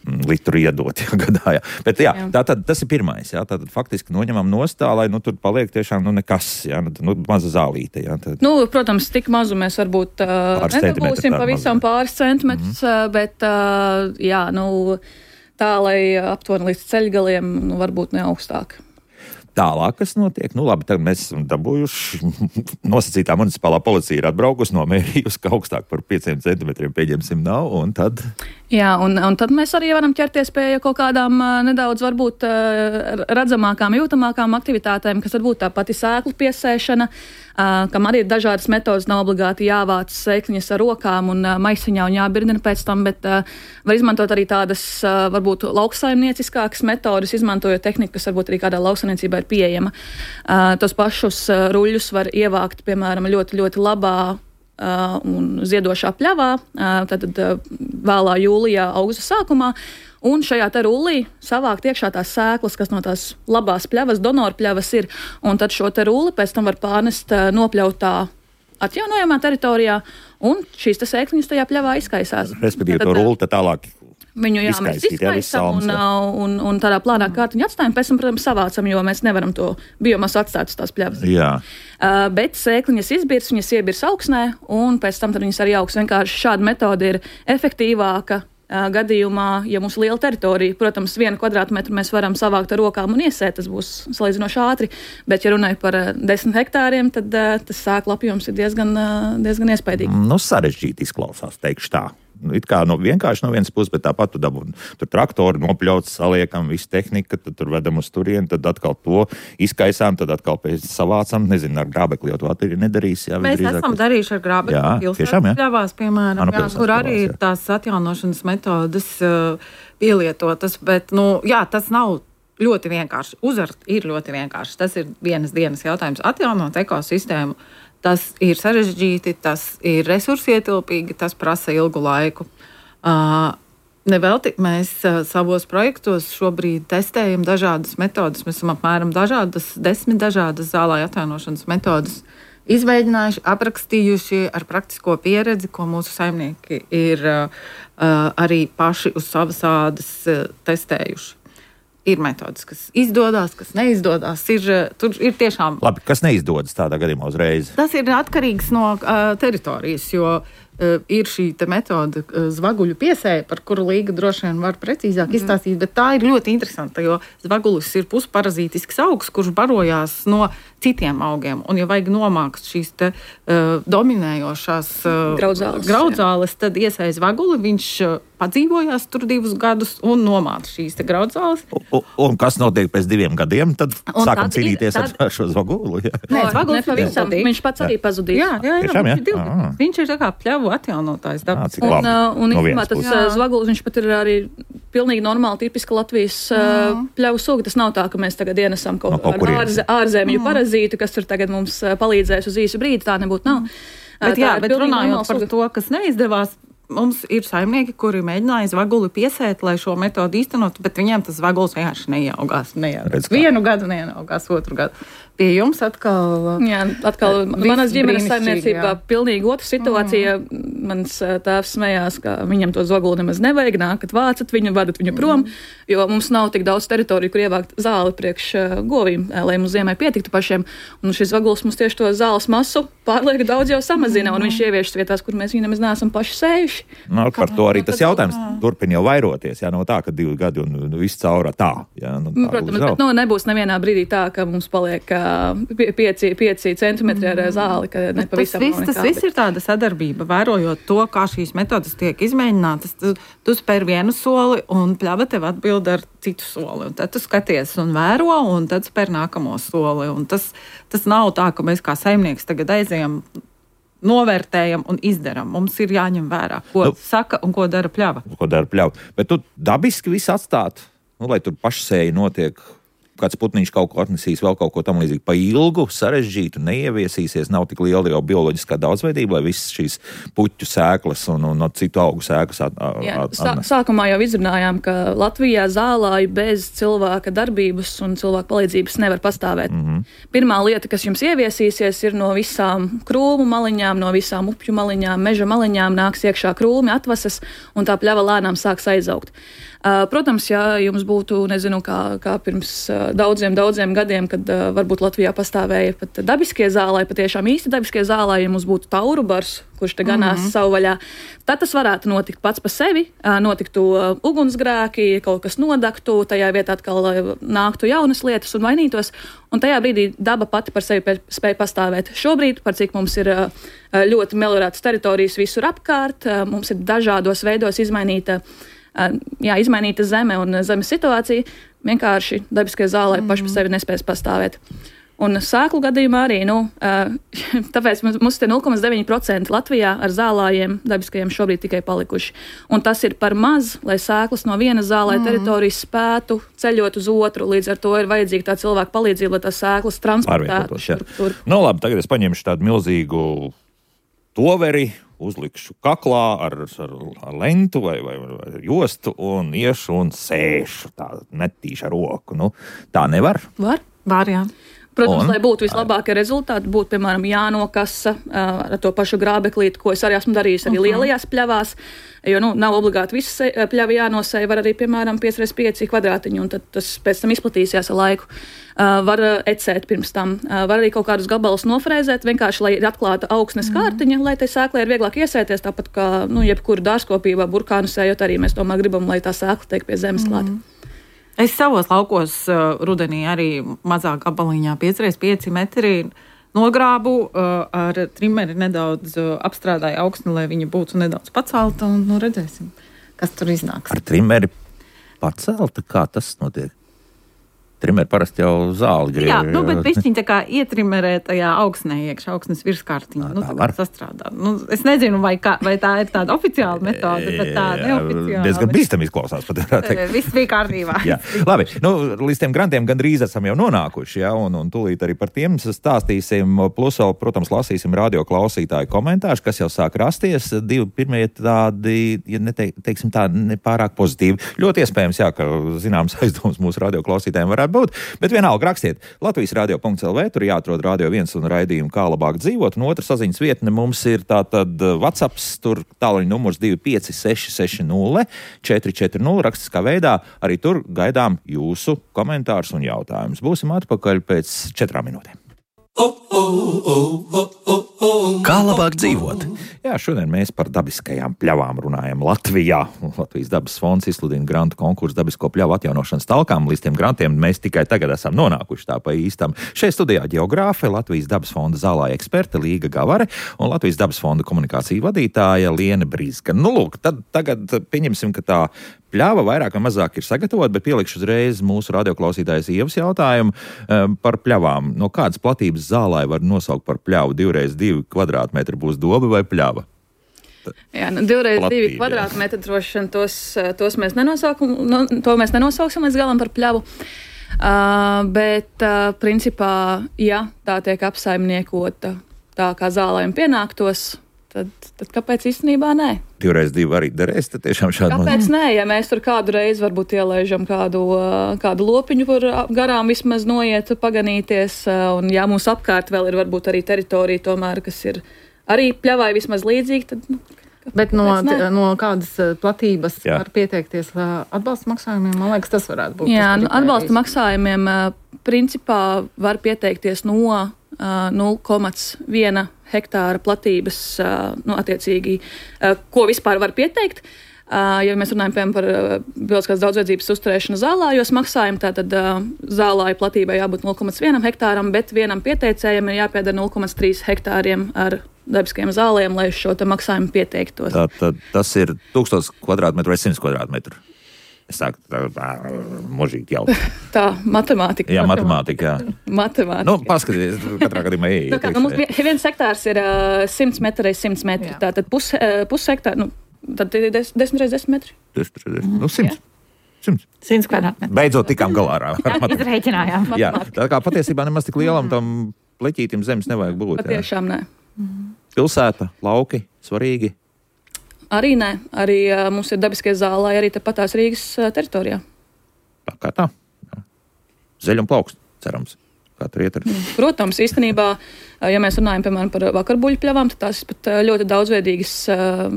litru iedot, jā, gadā, jā. Bet jā, jā. Tā tad tas ir pirmais, jā, tātad faktiski noņemam nostā, lai, nu, tur paliek tiešām, nu, nekas, jā, nu, maza zālīte, jā. Tad... Nu, protams, tik mazu mēs varbūt uh, nedabūsim pavisam pāris centimetrus, mm-hmm. bet, uh, jā, nu, tā, lai aptuveni līdz ceļgaliem, nu, varbūt ne augstāk. Tālāk, kas notiek? Nu, labi, tagad mēs esam dabūjuši, nosacītā municipālā policija ir atbraukusi, nomērījusi, ka augstāk par pieciem centimetriem pieņemsim nav, un tad... Jā, un, un tad mēs arī varam ķerties pie kaut kādām uh, nedaudz varbūt uh, redzamākām, jūtamākām aktivitātēm, kas varbūt tā pati sēklu piesēšana, uh, kam arī ir dažādas metodas, nav obligāti jāvāc sēkliņas ar rokām un uh, maisiņā un jābirdina pēc tam, bet uh, var izmantot arī tādas uh, varbūt lauksaimnieciskākas metodas, izmantojot tehniku, kas varbūt arī kādā lauksaimniecībā ir pieejama. Uh, tos pašus uh, ruļļus var ievākt, piemēram, ļoti, ļoti labā Uh, un ziedošā pļavā, uh, tad uh, vēlā jūlijā, augusta sākumā, un šajā te rullī savākt iekšā tās sēklas, kas no tās labās pļavas, donoru pļavas ir, un tad šo te rulli pēc tam var pārnest uh, nopļautā atjaunojamā teritorijā, un šīs te sēkliņas tajā pļavā izkaisās. Respektīvi, to rulli tad tālāk viņu jā, mēs izkaisam un, un, un tādā plānā kārtiņā atstājam, pēc tam, protams, savācam, jo mēs nevaram to biomasu atstāt uz tās pļavas. Jā. Uh, bet sēkliņas izbirs, viņas iebirs augsnē, un pēc tam tad viņas arī augs. Vienkārši šāda metode ir efektīvāka uh, gadījumā, ja mums ir liela teritorija. Protams, vienu kvadrātmetru mēs varam savākt ar rokām un iesēt, tas būs salīdzinoši ātri, bet, ja runāju par uh, desmit hektāriem, tad uh, tas sēklu apjoms ir diezgan, uh, diezgan iespaidīgi. Nu, sarežģīti izklausās, teikšu tā. It kā no, vienkārši no vienas puses, bet tāpat tu dabū, tur traktori nopļauts, saliekam, visu tehnika, tad tur vedam uz turieni, tad atkal to izkaisām, tad atkal pēc savācam, nezinu, ar grābekli, jo tu arī nedarīs. Jā, mēs drīzāk, esam darījuši ar grābekli pilsētas pļavās, piemēram, jā, pilsētas kur arī ir tās atjaunošanas metodas uh, pielietotas, bet, nu, jā, tas nav ļoti vienkārši. Uzart ir ļoti vienkārši. Tas ir vienas dienas jautājums. Atjaunot ekosistēmu. Tas ir sarežģīti, tas ir resursietilpīgi, tas prasa ilgu laiku. Uh, nevelti mēs uh, savos projektos šobrīd testējam dažādas metodas. Mēs esam apmēram dažādas, desmit dažādas zālāja atjaunošanas metodas izmēģinājuši, aprakstījuši ar praktisko pieredzi, ko mūsu saimnieki ir uh, arī paši uz savas ādas uh, testējuši. Ir metodas, kas izdodas, kas neizdodas. Ir, tur ir tiešām. Labi, kas neizdodas tādā gadījumā uzreiz? Tas ir atkarīgs no uh, teritorijas, jo uh, ir šī metode uh, zvaguļu piesēja, par kuru Līga droši vien var precīzāk mm. izstāstīt, bet tā ir ļoti interesanta, jo zvagulis ir pusparazītisks augs, kurš barojās no citiem augiem. Un, ja vajag nomākt šīs te, uh, dominējošās uh, graudzāles, graudzāles tad iesēja zvaguli, viņš uh, padzīvojās tur divus gadus un nomāca šīs te graudzāles. Un, un kas notiek pēc diviem gadiem? Tad un sākam tad cīnīties tad... ar šo zvagulu. Jā. Nē, zvagulis pavisam, viņš pats arī pazudīs. Jā, jā, jā, Tiešām, jā? Viņš, ir div... viņš ir tā kā pļavu atjaunotājs dabas. Un, uh, un no tas jā. zvagulis, viņš pat ir arī pilnīgi normāli, tipiska Latvijas uh, pļavu suga. Tas nav tā, ka mēs tagad ienesam kaut no, kādu ārzē, ārzemju parazītu, kas tur tagad mums palīdzēs uz īsu brīdi. Tā nebūtu nav. Bet, jā, bet runājot par suga. To, kas neizdevās, mums ir saimnieki, kuri mēģināja zvaguli piesēt, lai šo metodu īstenotu, bet viņiem tas zvagulis vienkārši neieaugās. neieaugās. Vienu gadu neieaugās, otru gadu. Pie jums atkal... Jā, atkal manas ģimenes saimniecībā pilnīgi otra situācija. Mm. Mans tēvs smējās, ka viņam to zvaguli nemaz nevajag, nākat vācat viņu, vadat viņu prom, mm. jo mums nav tik daudz teritoriju, kur ievākt zāli priekš govīm, lai mums ziemai pietiktu pašiem. Un šis zvagulis mums tieši to zāles masu pārlieku daudz jau samazina, mm. un viņš ieviešas vietās, kur mēs viņu nemaz neesam paši sējuši. No, par to arī tas jautājums turpina jau vairoties, jā, no tā, ka divi gadi un viss caurā tā. Jā, nu, tā Protams, bet nu, nebūs nevienā brīdī tā, ka mums paliek pieci, pieci centimetri ar zāli, ka nepavisam tas, viss, tas viss ir tāda sadarbība, vērojot to, kā šīs metodas tiek izmēģinātas. Tu, tu spēr vienu soli un pļava tev atbild ar citu soli. Un tad tu skaties un vēro un tad spēr nākamo soli. Un tas, tas nav tā, ka mēs kā saimnieks tagad aizējam, novērtējam un izdaram. Mums ir jāņem vērā, ko nu, saka un ko dara pļava. Ko dara pļava. Bet tu dabiski visu atstāt, nu, lai tur pašsēji notiek. Kāds putniņš kaut ko atnesīs, vēl kaut ko tam līdzīgi pa ilgu, sarežģītu, neieviesīsies, nav tik liela jau bioloģiskā daudzveidība, lai visas šīs puķu sēklas un, un, un citu augu sēklas at, at, Jā, at, sā, sākumā jau izrunājām, ka Latvijā zālāji bez cilvēka darbības un cilvēka palīdzības nevar pastāvēt. Mm-hmm. Pirmā lieta, kas jums ieviesīsies, ir no visām krūmu maliņām, no visām upju maliņām, meža maliņām nāks iekšā krūmi, atvases, un tā pļava lēnām sāks aizaugt. Protams, ja jums būtu, nezinu, kā, kā pirms daudziem, daudziem gadiem, kad uh, varbūt Latvijā pastāvēja pat dabiskie zālai, patiešām īsti dabiskie zālai, ja mums būtu tauru bars, kurš te ganās mm-hmm. savu vaļā, tad tas varētu notikt pats pa sevi, uh, notiktu uh, ugunsgrēki, kaut kas nodaktu, tajā vietā atkal uh, nāktu jaunas lietas un vainītos, un tajā brīdī daba pati par sevi spēja pastāvēt. Šobrīd, par cik mums ir uh, ļoti meliorētas teritorijas visur apkārt, uh, mums ir dažādos veidos izmainīta Jā, izmainīta zeme un zemes situācija, vienkārši dabiskie zālē mm. paši par sevi nespēs pastāvēt. Un sēklu gadījumā arī, nu, tāpēc mums te nulle komats deviņi procenti Latvijā ar zālājiem dabiskajiem šobrīd tikai palikuši. Un tas ir par maz, lai sēklas no vienas zālē mm. teritorijas spētu ceļot uz otru. Līdz ar to ir vajadzīga tā cilvēka palīdzība, lai tās sēklas transportētu. Tur, tur. Nu, labi, tagad es paņemšu tādu milzīgu toveri, uzlikšu kaklā ar, ar, ar lentu vai, vai, vai jostu un iešu un sēšu tā netīšu ar roku. Nu, tā nevar? Var. Var, jā. Protams, un, lai būtu vislabākie rezultāti, būtu, piemēram, jānokasa uh, ar to pašu grābeklīti, ko es arī esmu darījis arī uh-huh. lielajās pļavās, jo, nu, nav obligāti visas pļavi jānosēja, var arī, piemēram, pieci pret pieci kvadrātiņu, un tad tas pēc tam izplatīsies ar laiku. Uh, var ecēt pirms tam, uh, var arī kaut kādus gabalus nofrēzēt, vienkārši, lai ir atklāta augsnes uh-huh. kārtiņa, lai tai sēklai ir vieglāk iesēties, tāpat kā, nu, jebkura dārzkopībā, burkānu sējot arī mēs tomēr gribam, lai tā sēkla tiek pie zemes uh-huh. klāta. Es savos laukos uh, rudenī arī mazā gabaliņā pieci pret pieci metri nogrābu, uh, ar trimeri nedaudz uh, apstrādāju augsni, lai viņa būtu nedaudz pacelta, un nu, redzēsim, kas tur iznāks. Ar trimeri pacelta? Kā tas notiek? Trimeri parasti jau zāli grib. Jā, nu, bet pišķiņ tā kā ietrimerē tajā augsnē iekšā, augsnes virskārtiņā. Nu, tā var sastrādāt. Nu, es nezinu, vai, kā, vai tā ir tāda oficiāla metode, bet tā neoficiāla. Diezgan bīstam izklausās, pat varētu teikt. Viss bija kārtībā. Jā. Labi, nu, līdz tiem grantiem gandrīz esam jau nonākuši, jā, un, un tūlīt arī par tiem stāstīsim. Plus vēl, protams, lasīsim radio klausītāju komentārus, kas jau sāk rasties. Divi pirmie tādi, ja neteiksim tā, nepārāk pozitīvi. Ļoti iespējams, jā, ka zināms aizdoms mūsu radio klausītājiem var varētu būt. Bet vienalga rakstiet Latvijas radio punkts el vē, tur jāatrod Radio viens un raidījumu Kā labāk dzīvot, un otra saziņas vietne mums ir tātad WhatsApps, tur tāluņa numurs divi pieci seši seši nulle četri četri nulle rakstiskā veidā. Arī tur gaidām jūsu komentārus un jautājumus. Būsim atpakaļ pēc četrām minūtēm. Kā labāk dzīvot? Jā, šodien mēs par dabiskajām pļavām runājam Latvijā. Latvijas dabas fonds izsludina grantu konkursu dabisko pļavu atjaunošanas talkām. Līdz tiem grantiem mēs tikai tagad esam nonākuši tā pa īstam. Šeit studijā ģeogrāfe, Latvijas dabas fonda zālāja eksperte Līga Gavare un Latvijas dabas fonda komunikācija vadītāja Liene Brizga. Nu, lūk, tad tagad pieņemsim, ka tā pļava vairāk vai mazāk ir sagatavota, bet pielikšu uzreiz mūsu radioklausītājas Ievas jautājumu um, par pļavām. No kādas platības zālāja var nosaukt par pļavu? Divreiz divi kvadrātmetri būs doba vai pļava? Jā, nu, divreiz Platība, divi kvadrātmetri droši vien tos, tos mēs nenosaukam, no, to mēs nenosauksim līdz galam par pļavu. Uh, bet, uh, principā, ja tā tiek apsaimniekota tā, kā zālēm pienāktos, Tad, tad kāpēc īstenībā nē? Divreiz divi arī derēs, tad tiešām šādi. Kāpēc nē? Ja mēs tur kādu reizi varbūt ielaižam kādu, kādu lopiņu, kur garām vismaz noiet paganīties, un ja mums apkārt vēl ir varbūt arī teritorija tomēr, kas ir arī pļavai vismaz līdzīgi, tad... Nu, Bet no, no kādas platības Jā. Var pieteikties atbalsta maksājumiem? Man liekas, tas varētu būt. Jā, nu, atbalsta maksājumiem principā var pieteikties no nulle komma viena hektāra platības, nu, attiecīgi, ko vispār var pieteikt. Ja mēs runājam, piemēram, par bioloģiskās daudzveidzības uzturēšanu zālājos maksājumu, tātad zālāju platībai jābūt nulle komma viena hektāram, bet vienam pieteicējam ir jāpiedara nulle komma trīs hektāriem ar dabiskiem zālēm, lai šo te maksājumu pieteiktos. Tā, tā, tas ir tūkstoš kvadrātmetru vai simts kvadrātmetru. Es sāku tā, tā možīgi jau. Tā, matemātika. Jā, matemātika, jā. Matemātika. Nu, paskaties, katrā gadījumā ej. Tā kā, nu, mums viens hektārs ir uh, simts metri reiz simts metri. Jā. Tātad pus, uh, pus hektāri, nu, tad ir des, desmit reiz desmit metri. Desmit reiz desmit, nu, simts. Simts. Simts kvadrātmetri. Beidzot tikām galā ar matemātiku. Izreikinājām. Jā, tā kā patiesībā nemaz tik lielam tam pleķītim zemes nevajag būt. Patiešām nē. Pilsēta, lauki, svarīgi. Arī nē, arī uh, mums ir dabiskie zālāji arī tepatās Rīgas uh, teritorijā. Tā kā tā. Jā. Zeļ un plaukst, cerams. Kā tur iet ar... Protams, īstenībā, uh, ja mēs runājam, piemēram, par vakarbuļu pļavām, tad tās ir pat uh, ļoti daudzveidīgas uh,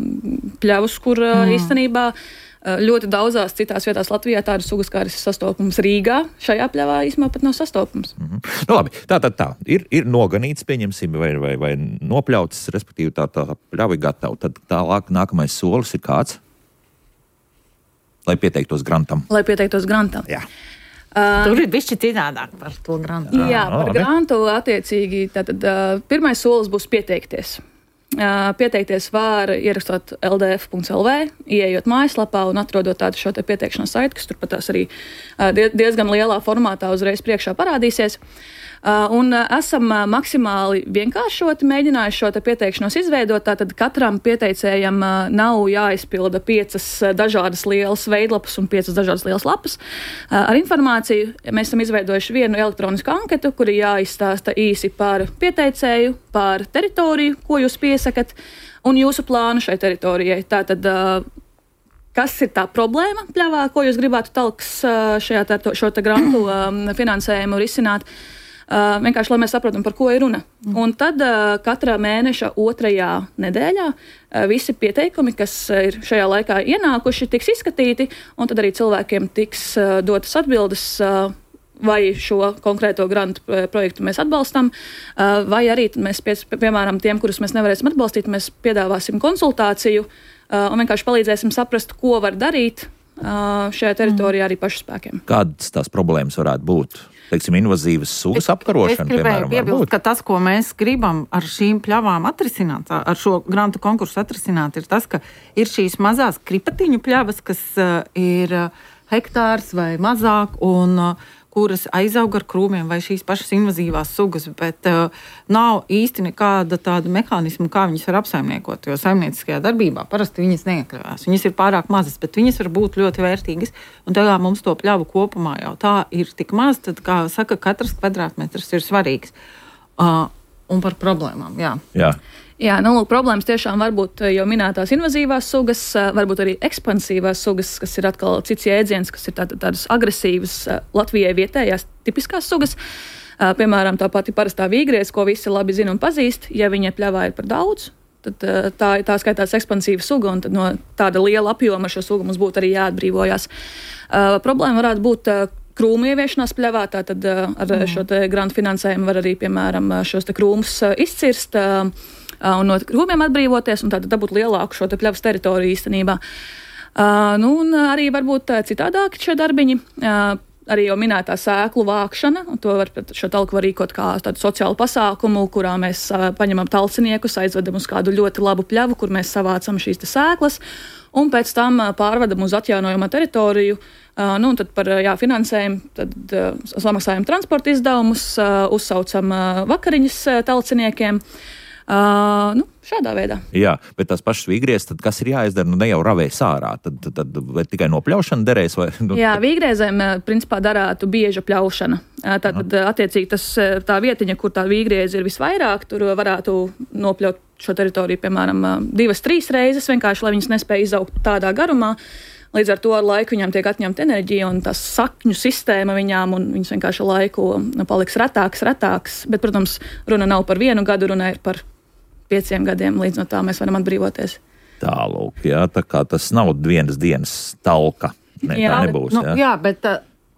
pļavas, kur uh, mm. īstenībā uh, ļoti daudzās citās vietās Latvijā tādas sugas, kā ir sastopums Rīgā, šajā pļavā īstenībā pat nav sastopums. Mm-hmm. Nu labi, tā tad tā, tā. Ir, ir noganīts, pieņemsim, vai, vai, vai nopļauts, respektīvi tā, tā pļava ir gatava. Tad tālāk nākamais solis ir kāds? Lai pieteiktos grantam. Lai pieteiktos grantam. Jā. Uh, Tur ir bišķi citādāk par to grantu. Jā, jā par grantu attiecīgi. Tātad uh, pirmais solis būs pieteikties. Uh, pieteikties var ierakstot el dē ef punkts el vē, ieejot mājaslapā un atrodot tādu šo te pieteikšanas saiti, kas turpat tās arī uh, diezgan lielā formātā uzreiz priekšā parādīsies. Uh, un uh, esam uh, maksimāli vienkāršoti mēģinājuši šo te pieteikšanos izveidot, tātad katram pieteicējam uh, nav jāizpilda piecas uh, dažādas lielas veidlapas un piecas dažādas lielas lapas. Uh, ar informāciju mēs esam izveidojuši vienu elektronisku anketu, kuri jāizstāsta īsi par pieteicēju, par teritoriju, ko jūs piesakat, un jūsu plānu šai teritorijai. Tātad, uh, kas ir tā problēma pļavā, ko jūs gribētu talks uh, šajā tā, šo te grantu um, finansējumu risināt? Uh, vienkārši, lai mēs saprotam, par ko ir runa. Mm. Un tad uh, katrā mēneša otrajā nedēļā uh, visi pieteikumi, kas ir šajā laikā ienākuši, tiks izskatīti, un tad arī cilvēkiem tiks uh, dotas atbildes, uh, vai šo konkrēto grantu projektu mēs atbalstam, uh, vai arī mēs, pie, piemēram, tiem, kurus mēs nevarēsim atbalstīt, mēs piedāvāsim konsultāciju uh, un vienkārši palīdzēsim saprast, ko var darīt uh, šajā teritorijā arī pašu spēkiem. Kādas tās problēmas varētu būt? Teiksim, invazīvas sugas apkarošana, es piemēram, gribēju piebilst, ka tas, ko mēs gribam ar šīm pļavām atrisināt, ar šo grantu konkursu atrisināt, ir tas, ka ir šīs mazās kripatiņu pļavas, kas uh, ir uh, hektārs vai mazāk, un uh, kuras aizaug ar krūmiem vai šīs pašas invazīvās sugas, bet uh, nav īsti nekāda tāda mehānisma, kā viņas var apsaimniekot, jo saimnieciskajā darbībā parasti viņas neiekļāvās. Viņas ir pārāk mazas, bet viņas var būt ļoti vērtīgas, un tā kā mums to pļavu kopumā jau tā ir tik maz, tad, kā saka, katrs kvadrātmetrs ir svarīgs. Uh, un par problēmām, jā. Jā. Jā, nu, lūk, problēmas tiešām var būt jau minētās invazīvās sugas, varbūt arī ekspansīvās sugas, kas ir atkal cits jēdziens, kas ir tā, tādas agresīvas Latvijai vietējās tipiskās sugas. Piemēram, tā pati parastā vīgriez, ko visi labi zina un pazīst, ja viņa pļavā ir par daudz, tad tā, tā skaitās ekspansīva suga, un tad no tāda liela apjoma šo sugu mums būtu arī jāatbrīvojās. Uh, problēma varētu būt uh, krūmu ieviešanās pļavā, tātad uh, ar mm. šo te grantu finansējumu var arī, piemēram, šos te krūmus uh, izcirst, uh, un no krūmiem atbrīvoties, un tātad dabūt lielāku šo te pļavas teritoriju īstenībā. Uh, nu, un arī varbūt citādāki šie darbiņi, uh, arī jau minētā sēklu vākšana, un to var, šo talku var rīkot kā tādu sociālu pasākumu, kurā mēs uh, paņemam talciniekus, aizvedam uz kādu ļoti labu pļavu, kur mēs savācam šīs te sēklas, un pēc tam uh, pārvedam uz atjaunojamo teritoriju, uh, nu, un tad par jā, finansējumu, tad uh, samaksājam transporta izdevumus, uh, uzsaucam uh, vakariņas uh, talciniekiem. Uh, nu, šādā veidā. Jā, bet tās pašas vīgriezes, tad kas ir jāizdara? Nu, ne jau ravēs ārā, tad, tad, tad vai tikai nopļaušana derēs? Vai, nu, Jā, vīgriezēm principā darētu bieža pļaušana. Tātad, attiecīgi, tas, tā vietiņa, kur tā vīgrieze ir visvairāk, tur varētu nopļaut šo teritoriju, piemēram, divas, trīs reizes, vienkārši, lai viņas nespēja izaugt tādā garumā. Līdz ar to ar laiku viņām tiek atņemta enerģija un tā sakņu sistēma viņām, un viņas vienkārši laiku paliks retāks, retāks. Bet, protams, runa nav par vienu gadu, runa ir par pieciem gadiem, līdz no tā mēs varam atbrīvoties. Tālūk, jā, tā kā tas nav vienas dienas talka. Ne, jā, tā nebūs, nu, jā. jā, bet uh,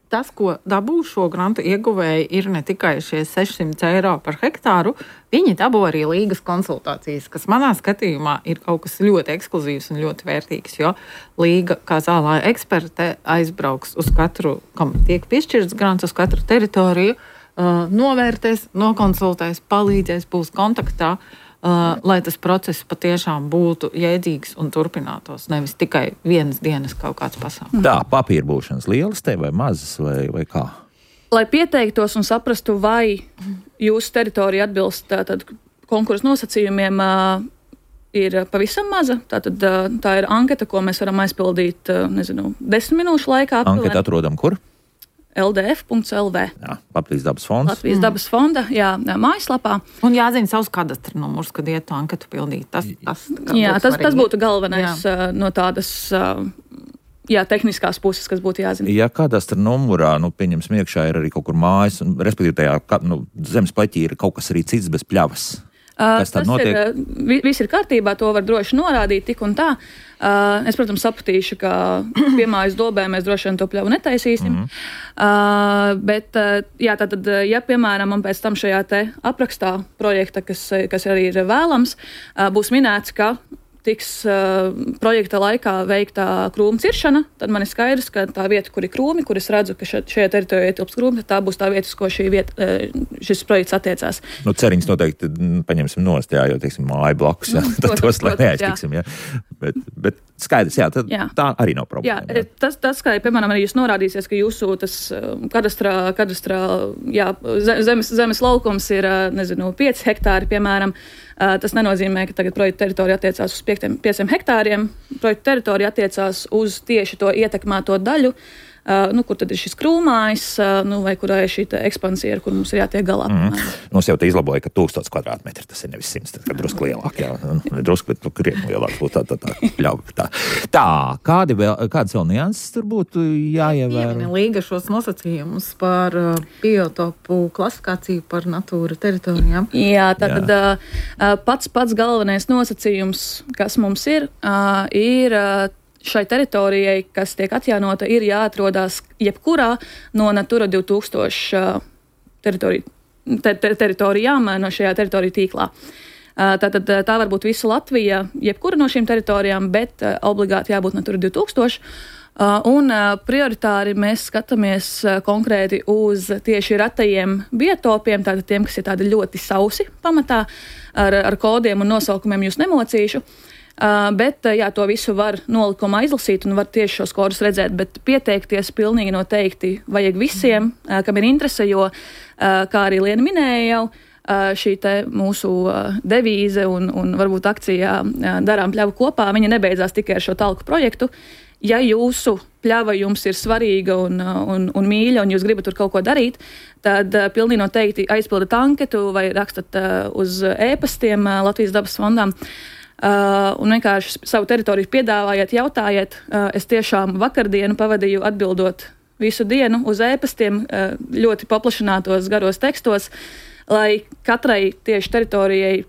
tas, ko dabū šo grantu ieguvēji, ir ne tikai šie sešsimt eiro par hektāru, viņi dabū arī līgas konsultācijas, kas manā skatījumā ir kaut kas ļoti ekskluzīvs un ļoti vērtīgs, jo līga, kā zālāja eksperte, aizbrauks uz katru, kam tiek piešķirts grants, uz katru teritoriju, uh, novērtēs, nokonsultēs, palīdzēs, būs kontaktā, Uh, lai tas process patiešām būtu jēdzīgs un turpinātos, nevis tikai vienas dienas kaut kāds pasākums. Tā, papīra būšanas lielas te vai mazas vai, vai kā? Lai pieteiktos un saprastu, vai jūsu teritorija atbilst tātad konkursu nosacījumiem, uh, ir pavisam maza. Tātad uh, tā ir anketa, ko mēs varam aizpildīt, uh, nezinu, desmit minūšu laikā. Anketa atrodam kur? L D F punkts L V. Jā, Latvijas dabas fonds. Latvijas mm. dabas fonda, jā, mājaslapā. Un jāzina savs kadastra numurs, kad iet to anketu pildīt. Tas, tas, jā, tas, tas būtu galvenais jā. no tādas jā, tehniskās puses, kas būtu jāzina. Ja kadastra numurā, nu, pieņemsim, iekšā ir arī kaut kur mājas, un, respektīvi tajā nu, zemes pleķī ir kaut kas arī cits bez pļavas. Kas tad notiek? Ir, viss ir kārtībā, to var droši norādīt tik un tā. Uh, es, protams, sapratīšu, ka piemājas dobē mēs droši vien to pļavu netaisīsim. Mm. Uh, bet, uh, jā, tātad, ja, piemēram, man pēc tam šajā te aprakstā projekta, kas, kas arī ir vēlams, uh, būs minēts, ka tiks uh, projekta laikā veiktā krūmu ciršana, tad man ir skaidrs, ka tā vieta, kur ir krūmi, kur es redzu, ka šeit, šajā teritorijā ietilpst krūmi, tā būs tā vieta, uz ko šī vieta, uh, šis projekts attiecās. Nu, ceriņas noteikti paņemsim nost, jā, jo, teiksim, māja blakus, jā, tad protams, tos, lai neaiztiksim, jā. Bet, bet skaidrs, jā, tad jā. Tā arī nav problēma. Jā, jā. Tas, tas, kā, piemēram, arī jūs norādīsies, ka jūsu tas kadastrā, kadastrā jā, zemes, zemes laukums ir, nezinu, pieci hektāri, piemēram. Tas nenozīmē, ka tagad projekta teritorija attiecās uz pieciem hektāriem. Projekta teritorija attiecās uz tieši to ietekmēto daļu, Uh, nu, kur tad ir šis krūmājs, uh, nu, vai kurā ir šī ekspansija, ar kur mums ir jātiek galā. Mm. Mums jau te izlaboja, ka tūkstots kvadrātmetri, tas ir nevis simts, tad, kad drusku lielāk, jā, drusku, bet nu, krietni lielāk būtu tā, tā, tā, ļauj, tā. Tā, kādi vēl, kādas vēl nianses tur būtu jāievēro? Jā, līga šos nosacījumus par uh, biotopu klasifikāciju par natūra teritorijām. Jā, tātad uh, pats pats galvenais nosacījums, kas mums ir, uh, ir uh, šai teritorijai, kas tiek atjaunota, ir jāatrodās jebkurā no Natura divi tūkstoši teritori, ter, ter, teritorijām no šajā teritoriju tīklā. Tātad tā var būt visa Latvija, jebkura no šīm teritorijām, bet obligāti jābūt Natura divi tūkstoši. Un prioritāri mēs skatāmies konkrēti uz tieši retajiem biotopiem, tātad tiem, kas ir tādi ļoti sausi pamatā, ar, ar kodiem un nosaukumiem jūs nemocīšu. Uh, bet jā, to visu var nolikumā izlasīt un var tieši šos kodus redzēt, bet pieteikties pilnīgi noteikti vajag visiem, uh, kam ir interese, jo, uh, kā arī Liena minēja jau, uh, šī te mūsu uh, devīze un, un varbūt akcijā uh, darām pļavu kopā, viņa nebeidzās tikai ar šo talku projektu. ja jūsu pļava jums ir svarīga un, un, un mīļa, un jūs gribat tur kaut ko darīt, tad uh, pilnīgi noteikti aizpildat anketu vai rakstat uh, uz e-pastiem uh, Latvijas dabas fondām. Uh, un vienkārši savu teritoriju piedāvājiet, jautājiet. Uh, es tiešām vakardienu pavadīju atbildot visu dienu uz e-pastiem, uh, ļoti paplašinātos garos tekstos, lai katrai tieši teritorijai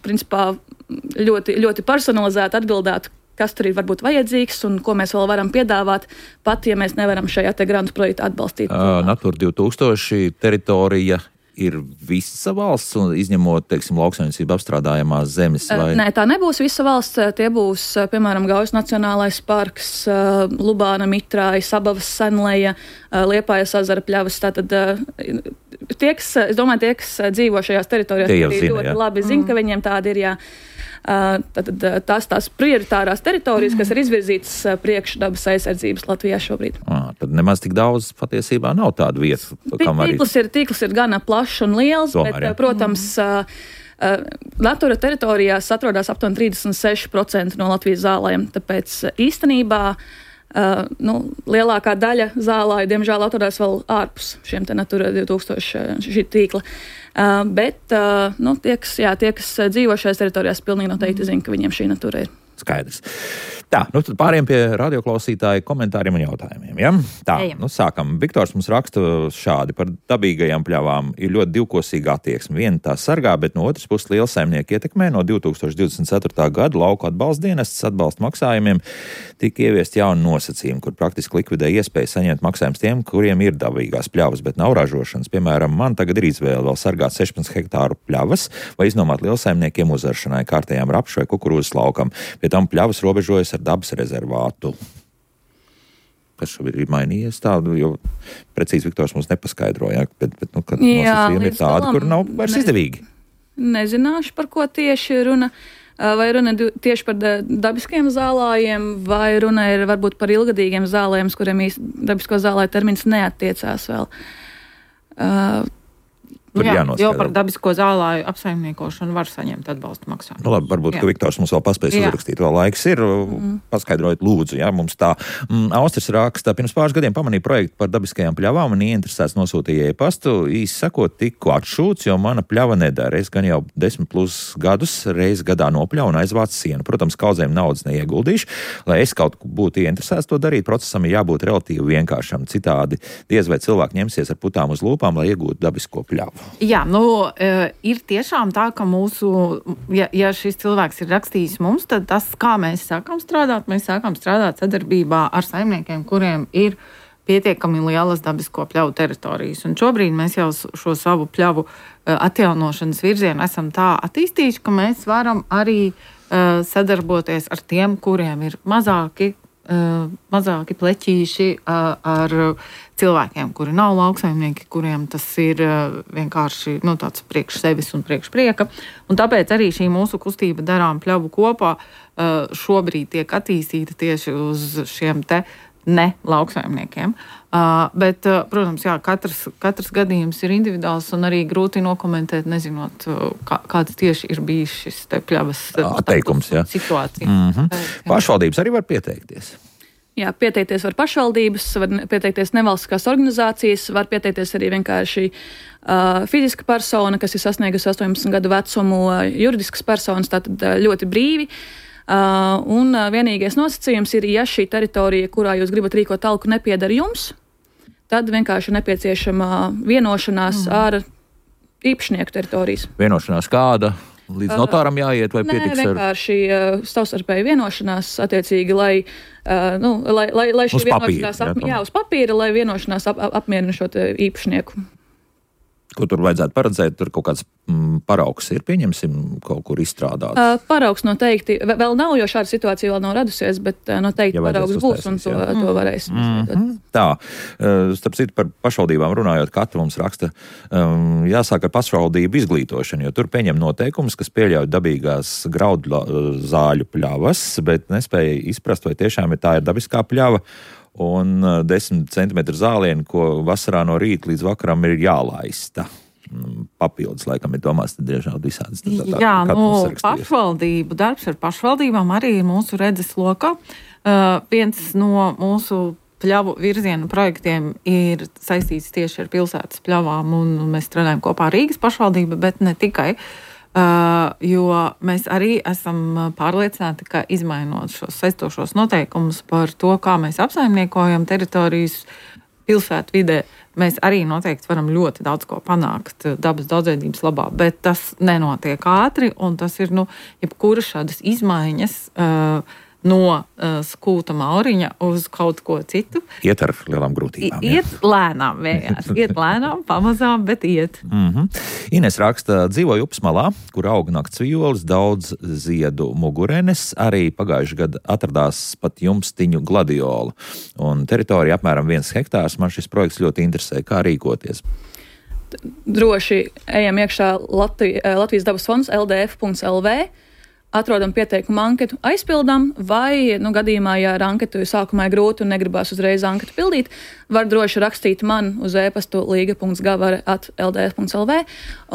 principā ļoti, ļoti personalizēti atbildētu, kas tur ir varbūt vajadzīgs un ko mēs vēl varam piedāvāt, pat ja mēs nevaram šajā te grantu projektu atbalstīt. Uh, Natūra divi tūkstoši teritorija ir visa valsts, un izņemot, teiksim, lauksaimniecību apstrādājamās zemes? Vai? Nē, tā nebūs visa valsts. Tie būs, piemēram, Gaujas Nacionālais parks, Lubāna, Mitrāja, Sabavas, Senleja, Liepājas ezera pļavas. Tātad tie, kas, es domāju, tie, kas dzīvo šajās teritorijās, tie ļoti zina, labi zina, ka viņiem tādi ir, jā. Tātad tās tās prioritārās teritorijas, kas ir izvirzītas priekš dabas aizsardzības Latvijā šobrīd. À, tad nemaz tik daudz patiesībā nav tāda vieta. Tīkls ir, tīkls ir gana plašs un liels, Tomēr, bet, jā. protams, mm. uh, Natūra teritorijās atrodas aptuveni trīsdesmit seši procenti no Latvijas zālēm, tāpēc īstenībā Uh, nu, lielākā daļa zālāju, diemžēl, atrodas vēl ārpus šiem te Natura divi tūkstoši šī tīkla. Uh, bet uh, nu, tie, kas, jā, tie, kas dzīvo šajās teritorijās, pilnīgi noteikti zina, ka viņiem šī Natura ir. Skaidrs. Tā, nu tad pāriem pie radioklausītāju komentāriem un jautājumiem. Ja? Tā, Ejam. nu sākam. Viktors mums raksta šādi par dabīgajām pļavām. Ir ļoti divkosīga attieksme. Viena tā sargā, bet no otras puses lielsaimnieki ietekmē. No divi tūkstoši divdesmit ceturtā gada lauku atbalsta dienestas atbalsta maksājumiem tika ieviest jauni nosacījumi, kur praktiski likvidē iespēju saņemt maksājumus tiem, kuriem ir dabīgās pļavas, bet nav ražošanas. Piemēram, man tagad ir izvēle vēl sargāt sešpadsmit hektāru pļavas vai iznomāt lielsaimniekiem uzaršanai, kārtējām rapšu vai kukurūzas laukam. Pie tam pļavas robežojas ar dabas rezervātu. Kas šobrīd ir mainījies tādu, jo precīzi Viktors mums nepaskaidroja, bet, bet nu, kad nosacījumi ir tādi, kur nav vairs ne, izdevīgi. Nezināšu, par ko tieši runa. Vai runa tieši par dabiskiem zālājiem, vai runa ir varbūt par ilgadīgiem zālājiem, kuriem īsti dabisko zālāju termins neattiecās vēl. Uh, Jā, jo par dabisko zālāju apsaimniekošanu var saņemt atbalstu maksājumu. Nu labi, varbūt, jā. ka Viktors mums vēl paspēs jā. uzrakstīt, vēl laiks ir. Mm. Paskaidrojiet, lūdzu, jā, mums tā. Mm, Austris raksta, pirms pāris gadiem pamanīja projektu par dabiskajām pļavām un ieinteresēts nosūtīja e-pastu. Īsi sakot, tiku atšūts, jo mana pļava nedara. Es gan jau desmit plus gadus reiz gadā nopļauju un aizvācu sienu. Protams, kaudzēm naudas neieguldīšu. Lai es kaut būtu ieinteresēts to darīt, procesam ir jābūt relatīvi vienkāršam. Citādi diez vai cilvēki ņemsies ar putām uz lūpām, lai iegūtu dabisko pļavu. Jā, nu, ir tiešām tā, ka mūsu, ja, ja šis cilvēks ir rakstījis mums, tad tas, kā mēs sākam strādāt, mēs sākam strādāt sadarbībā ar saimniekiem, kuriem ir pietiekami lielas dabisko pļavu teritorijas. Un šobrīd mēs jau šo savu pļavu atjaunošanas virzienu esam tā attīstījuši, ka mēs varam arī uh, sadarboties ar tiem, kuriem ir mazāki, uh, mazāki pleķīši uh, ar cilvēkiem, kuri nav lauksaimnieki, kuriem tas ir vienkārši nu, tāds priekš sevis un priekš prieka. Un tāpēc arī šī mūsu kustība Darām pļavu kopā šobrīd tiek attīstīta tieši uz šiem te ne lauksaimniekiem. Bet, protams, jā, katrs, katrs gadījums ir individuāls un arī grūti nokomentēt, nezinot, kā, kāds tieši ir bijis šis te pļavas atteikums, jā. situācija. Mm-hmm. Pašvaldības arī var pieteikties. Jā, pieteikties var pašvaldības, var pieteikties nevalstiskās organizācijas, var pieteikties arī vienkārši uh, fiziska persona, kas ir sasniegusi astoņdesmit gadu vecumu, juridiskas personas, tātad ļoti brīvi. Uh, un uh, vienīgais nosacījums ir, ja šī teritorija, kurā jūs gribat rīkot talku, nepiedara jums, tad vienkārši nepieciešama vienošanās mm. ar īpašnieku teritorijas. Vienošanās kāda? Līdz notāram jāiet vai Nē, pietiks ar... vienkārši uh, savstarpēji vienošanās attiecīgi, lai, uh, nu, lai, lai, lai šī uz vienošanās... Papīra, ap, jā, uz papīra, lai vienošanās ap, ap, apmierina šo īpašnieku. Ko tur vajadzētu paredzēt? Tur kaut kāds mm, paraugs ir, pieņemsim, kaut kur izstrādāts? Uh, paraugs noteikti. Vēl nav, jo šāda situācija vēl nav radusies, bet uh, noteikti ja paraugs būs un to, mm. to varēs. Mm-hmm. Tā. Uh, starp citu par pašvaldībām runājot, katra mums raksta, um, jāsāk ar pašvaldību izglītošanu, jo tur pieņem noteikumus, kas pieļauj dabīgās graudu zāļu pļavas, bet nespēja izprast, vai tiešām ir tā ir dabiskā pļava. Un desmit centimetru zālienu, ko vasarā no rīta līdz vakaram ir jālaista. Papildus, laikam, ir domās, tad diezgan visādas. Tā, tā, Jā, nu, pašvaldību darbs ar pašvaldībām arī ir mūsu redzes lokā. Uh, viens no mūsu pļavu virzienu projektiem ir saistīts tieši ar pilsētas pļavām, un mēs strādājam kopā ar Rīgas pašvaldību, bet ne tikai. Uh, jo mēs arī esam pārliecināti, ka izmainot šos saistošos noteikumus par to, kā mēs apsaimniekojam teritorijas pilsētu vidē, mēs arī noteikti varam ļoti daudz ko panākt dabas daudzveidības labā, bet tas nenotiek ātri, un tas ir, nu, jebkura šādas izmaiņas uh, no uh, skūta mauriņa uz kaut ko citu. Iet ar lielām grūtībām. I, iet lēnām vienkārši. Iet lēnām, pamazām, bet iet. Mm-hmm. Ines raksta, dzīvoju upes malā, kur aug nakts vijoles, daudz ziedu mugurenes, arī pagājuši gadu atradās pat jumstiņu gladiolu. Un teritorija apmēram viens hektārs. Man šis projekts ļoti interesē, kā rīkoties. Droši ejam iekšā Latvi, Latvijas dabas fonds L D F punkts L V. Atrodam pieteikumu anketu, aizpildām, vai, nu, gadījumā, ja ar anketu sākumā ir grūti un negribās uzreiz anketu pildīt, var droši rakstīt man uz e-pastu līga punkts gavare at L D F punkts L V,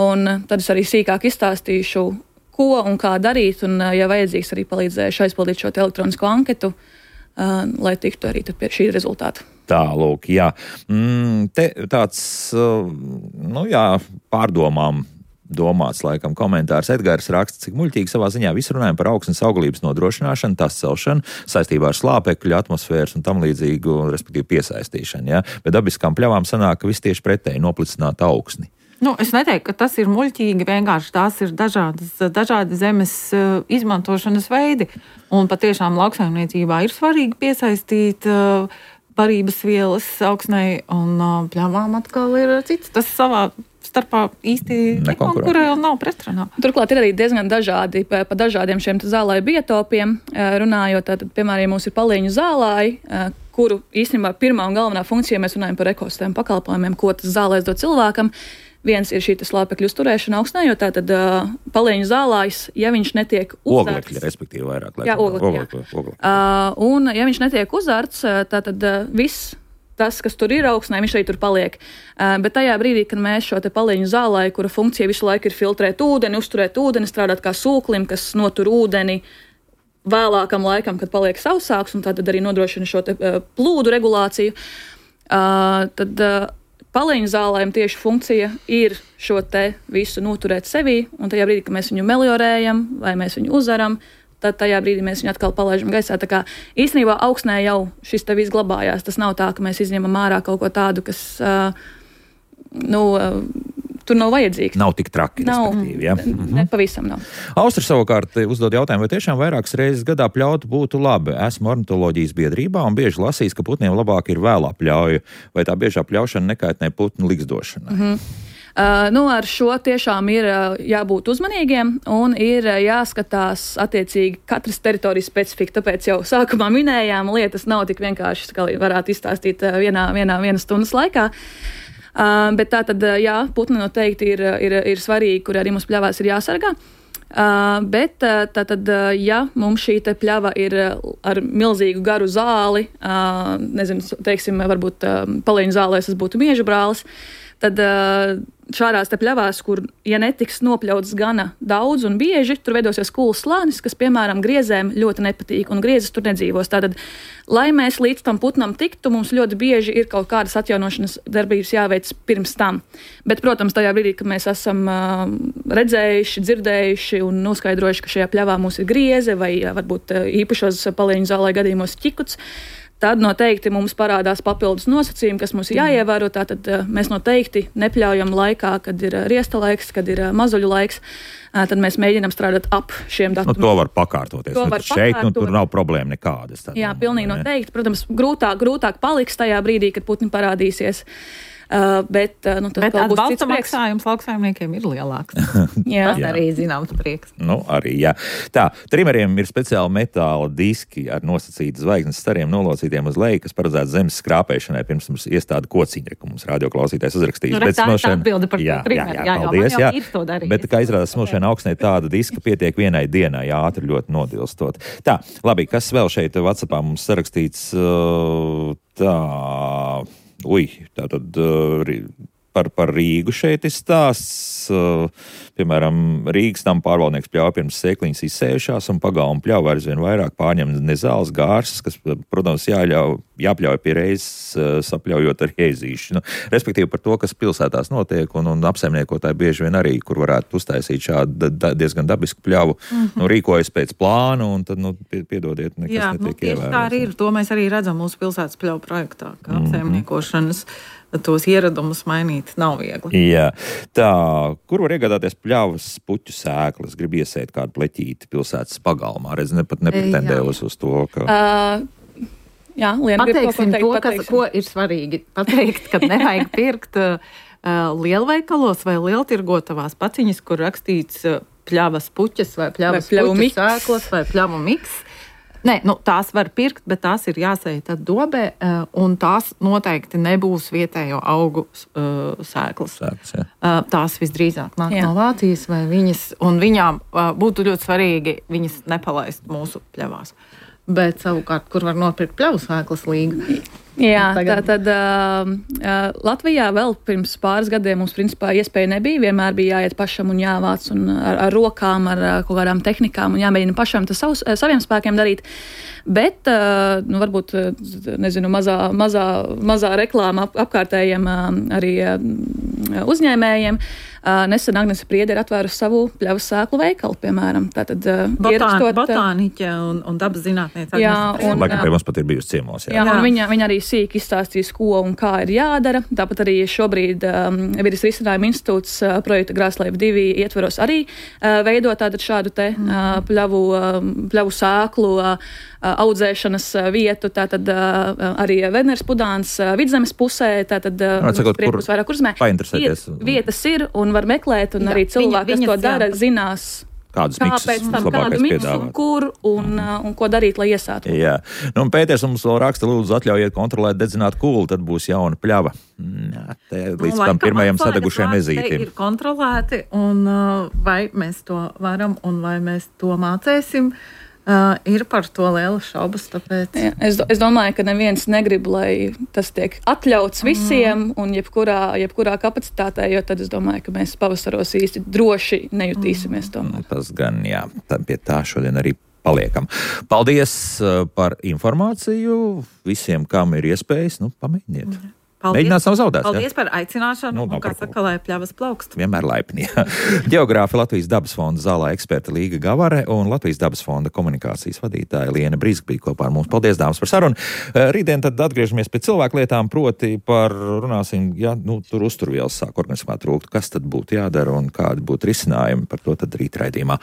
un tad es arī sīkāk izstāstīšu, ko un kā darīt, un, ja vajadzīgs, arī palīdzēšu aizpildīt šo elektronisko anketu, uh, lai tiktu arī pie šī rezultāta. Tā, lūk, jā. Mm, te tāds, uh, nu jā, pārdomām domāts, laikam, komentārs. Edgars raksta, cik muļķīgi savā ziņā visu runājam par augsnes auglības nodrošināšanu, tās celšanu, saistībā ar slāpekļu, atmosfēras un tam līdzīgu, respektīvi piesaistīšanu, ja? Bet dabiskām pļavām sanāk, ka viss tieši pretēji noplicināt augsni. Nu, es neteiktu, ka tas ir muļķīgi, vienkārši tās ir dažādas, dažādi zemes uh, izmantošanas veidi, un patiešām lauksaimniecībā ir svarīgi piesaistīt uh, barības vielas augsnei, un uh, pļavām atkal ir cits. Tas savā starpā īsti nekonkurē un nav pretrunā. Turklāt ir arī diezgan dažādi, pa, pa dažādiem šiem zālāju biotopiem, runājot, tad, piemēram, mums ir palieņu zālāji, kuru īstenībā pirmā un galvenā funkcija, mēs runājam par ekosistēmu pakalpojumiem, ko tas zālājs dod cilvēkam. Viens ir šī slāpekļu uzturēšana augsnē, jo tātad uh, palieņu zālājs, ja viņš netiek uzarts... Oglekļi, respektīvi vairāk. Jā, oglekļi, jā. Oglekļi. Uh, un ja viņš netiek uzarts, tātad uh, viss tas, kas tur ir augsnē, viņš arī tur paliek. Uh, bet tajā brīdī, kad mēs šo te palieņu zālāju, kura funkcija visu laiku ir filtrēt ūdeni, uzturēt ūdeni, strādāt kā sūklim, kas notur ūdeni vēlākam laikam, kad paliek sausāks, un tad arī nodrošina šo te uh, plūdu regulāciju, uh, tad uh, palieņu zālājiem tieši funkcija ir šo te visu noturēt sevī, un tajā brīdī, kad mēs viņu meliorējam vai mēs viņu uzaram, tad tajā brīdī mēs viņu atkal palaižam gaisā. Tā kā īstenībā augsnē jau šis te viss glabājās. Tas nav tā, ka mēs izņemam ārā kaut ko tādu, kas, uh, nu, uh, tur nav vajadzīgs. Nav tik traki, nav, respektīvi, ja? Ne, ne pavisam nav. Austra savukārt uzdod jautājumu, vai tiešām vairākas reizes gadā pļautu būtu labi. Esmu ornitoloģijas biedrībā un bieži lasījis, ka putniem labāk ir vēlā pļauja, vai tā biežā pļaušana nekaitnē putnu ligzdošanai. Mm-hmm. Uh, nu, ar šo tiešām ir uh, jābūt uzmanīgiem un ir uh, jāskatās attiecīgi katras teritorijas specifika. Tāpēc jau sākumā minējām, lietas nav tik vienkārši, kā varētu izstāstīt uh, vienā, vienā vienas stundas laikā. Uh, bet tā tad, uh, jā, putni noteikti ir, ir, ir svarīgi, kur arī mums pļavās ir jāsargā. Uh, bet uh, tā tad, uh, ja mums šī te pļava ir uh, ar milzīgu garu zāli, uh, nezinu, teiksim, varbūt uh, palieņu zālēs tas būtu mieža brālis, tad uh, šādās te pļavās, kur, ja netiks nopļauts gana daudz un bieži, tur veidosies kūls slānis, kas, piemēram, griezēm ļoti nepatīk, un griezes tur nedzīvos. Tātad, lai mēs līdz tam putnam tiktu, mums ļoti bieži ir kaut kādas atjaunošanas darbības jāveic pirms tam. Bet, protams, tajā brīdī, kad mēs esam uh, redzējuši, dzirdējuši un noskaidrojuši, ka šajā pļavā mums ir grieze vai varbūt uh, īpašos palieņu zālē gadījumos ķikuts, tad noteikti mums parādās papildus nosacījumi, kas mums ir jāievēro. Tātad mēs noteikti nepļaujam laikā, kad ir riesta laiks, kad ir mazuļu laiks. Tad mēs mēģinām strādāt ap šiem datumiem. Nu, to var pakārtoties. To nu, var šeit pakārtot. nu, tur nav problēma nekādas. Tad, Jā, pilnīgi noteikti. Protams, grūtāk, grūtāk paliks tajā brīdī, kad putni parādīsies. Uh, bet, uh, nu, bet atbalsta maksājums lauksaimniekiem ir lielāks. Jā. Tas arī zināms prieks. Nu, arī, jā. Tā, trimeriem ir speciāli metāla diski ar nosacītu zvaigznes stariem nolocītiem uz leju, kas paredzēts zemes skrāpēšanai, pirms mums iestāda kociņa, ko mums radioklausītājs uzrakstījis. Nu, bet tā ir atbilde par jā, trimeru. Jā, jā, jā, paldies, jā, jā. ir to darījis. Bet, kā izrādās, smošana augsnē tāda diska pietiek vienai dienai, jā, ātri ļoti nodilstot. Tā, labi, kas vēl šeit WhatsAppā mums sarakstīts? Tā... Ui, tā tad uh, par, par Rīgu šeit ir stāsts. Piemēram, Rīgas tam pārvaldnieks pļauj pirms sēkliņas izsējušās un pagalma pļauj aizvien vairāk pārņem nezāles gārsas, kas, protams, jāļauj, jāpļauj pie reizes sapļaujot ar ēzīšu. Nu, respektīvi par to, kas pilsētās notiek un, un apsaimniekotāji bieži vien arī, kur varētu uztaisīt šādu da, diezgan dabisku pļavu, mm-hmm. nu, rīkojas pēc plānu un tad, nu, piedodiet, nekas Jā, netiek nu, tieši ievērots. Tā arī ir. To mēs arī redzam mūsu pilsētas pļauju projektā, ka mm-hmm. apsaimniekošanas tos ieradumus mainīt nav viegli. Jā. Tā, kur var iegādāties pļavas puķu sēklas? Grib iesēt kādu pleķīti pilsētas pagalmā. Redz, ne pat nepretendējos uz to, ka... Uh, jā, Liena grib kaut ko Pateiksim teikt. to, kas, ko ir svarīgi pateikt, kad nevajag pirkt uh, lielveikalos vai lieltirgotavās paciņas, kur rakstīts uh, pļavas puķes vai pļavas Vai pļavu puķu miks. sēklas vai pļavu miks. Nē, nu, tās var pirkt, bet tās ir jāsēj tad dobē, uh, un tās noteikti nebūs vietējo augu uh, sēklas. Sēklas, jā. Uh, tās visdrīzāk nāk Jā. no Vācijas, vai viņas, un viņām uh, būtu ļoti svarīgi viņas nepalaist mūsu pļavās. Bet savukārt, kur var nopirkt pļavu sēklas līgu? Jā, Tagad- tā tad uh, uh, Latvijā vēl pirms pāris gadiem mums principā iespēja nebija. Vienmēr bija jāiet pašam un jāvāc un ar, ar rokām, ar uh, kaut kādām tehnikām un jāmēģina pašam tas savus, saviem spēkiem darīt. Bet, uh, nu, varbūt, uh, nezinu, mazā, mazā, mazā reklāma ap, apkārtējiem uh, arī uh, uzņēmējiem. Uh, nesen Agnese Priede ir atvērusi savu pļavas sēklu veikalu, piemēram. Tātad, uh, Botān, ierakstot, uh, botāniķe un, un dabas zinātniece. Jā, Agnese Priede. un, Laikam pie mums pat ir bijusi ciemos, jā. Jā, Jā. un viņa, viņa arī sīki izstāstīs, ko un kā ir jādara. Tāpat arī šobrīd um, Vides risinājuma institūts uh, projekta Grāslēva divi ietveros arī uh, veidot tātad šādu te uh, pļavu, uh, pļavu sēklu uh, audzēšanas uh, vietu. Tātad uh, arī Vedners Pudāns uh, Vidzemes pusē. Tātad uh, Var sakot, kur priekums vairāk urzmē. painteresēties. Viet, vietas ir un var meklēt, un Jā, arī cilvēki, viņa- kas to viņas, dara, jā. zinās, Kādus kāpēc miksus tam kādu labākais miksu un piedāvāt. kur un, uh, un ko darīt, lai iesātu. Jā, nu, un Pēters mums vēl raksta, lūdzu, atļaujiet kontrolēt dedzināt kūlu, tad būs jauna pļava. Jā, te līdz tam pirmajam sadegušajam ezītim. Ir kontrolēti, un uh, vai mēs to varam, un vai mēs to mācēsim, uh, ir par to liela šaubas, tāpēc... Jā, es, do- es domāju, ka neviens negrib, lai tas tiek atļauts visiem un jebkurā, jebkurā kapacitātē, jo tad es domāju, ka mēs pavasaros īsti droši nejutīsimies to. Nu, tas gan, jā, tā, pie tā šodien arī paliekam. Paldies uh, par informāciju visiem, kam ir iespējas, nu, pamēģiniet. Mēģināt nav zaudēts, jā? Paldies par aicināšanu, Nu, nu, nav un, kā par ko. saka, lai pļavas plaukst. Vienmēr laipni. Geogrāfi Latvijas dabas fonda zālē eksperta Līga Gavare un Latvijas dabas fonda komunikācijas vadītāja Liena Brīska bija kopā ar mums. Paldies, dāmas, par sarunu. Rītdien tad atgriežamies pie cilvēku lietām, proti par, runāsim, ja nu, tur uzturvielas sāk organismā trūkt, kas tad būtu jādara un kādi būtu risinājumi. Par to tad rīt raidījumā.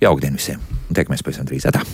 Jaukdien visiem. Tiekamies pēc tam drīz. Atā.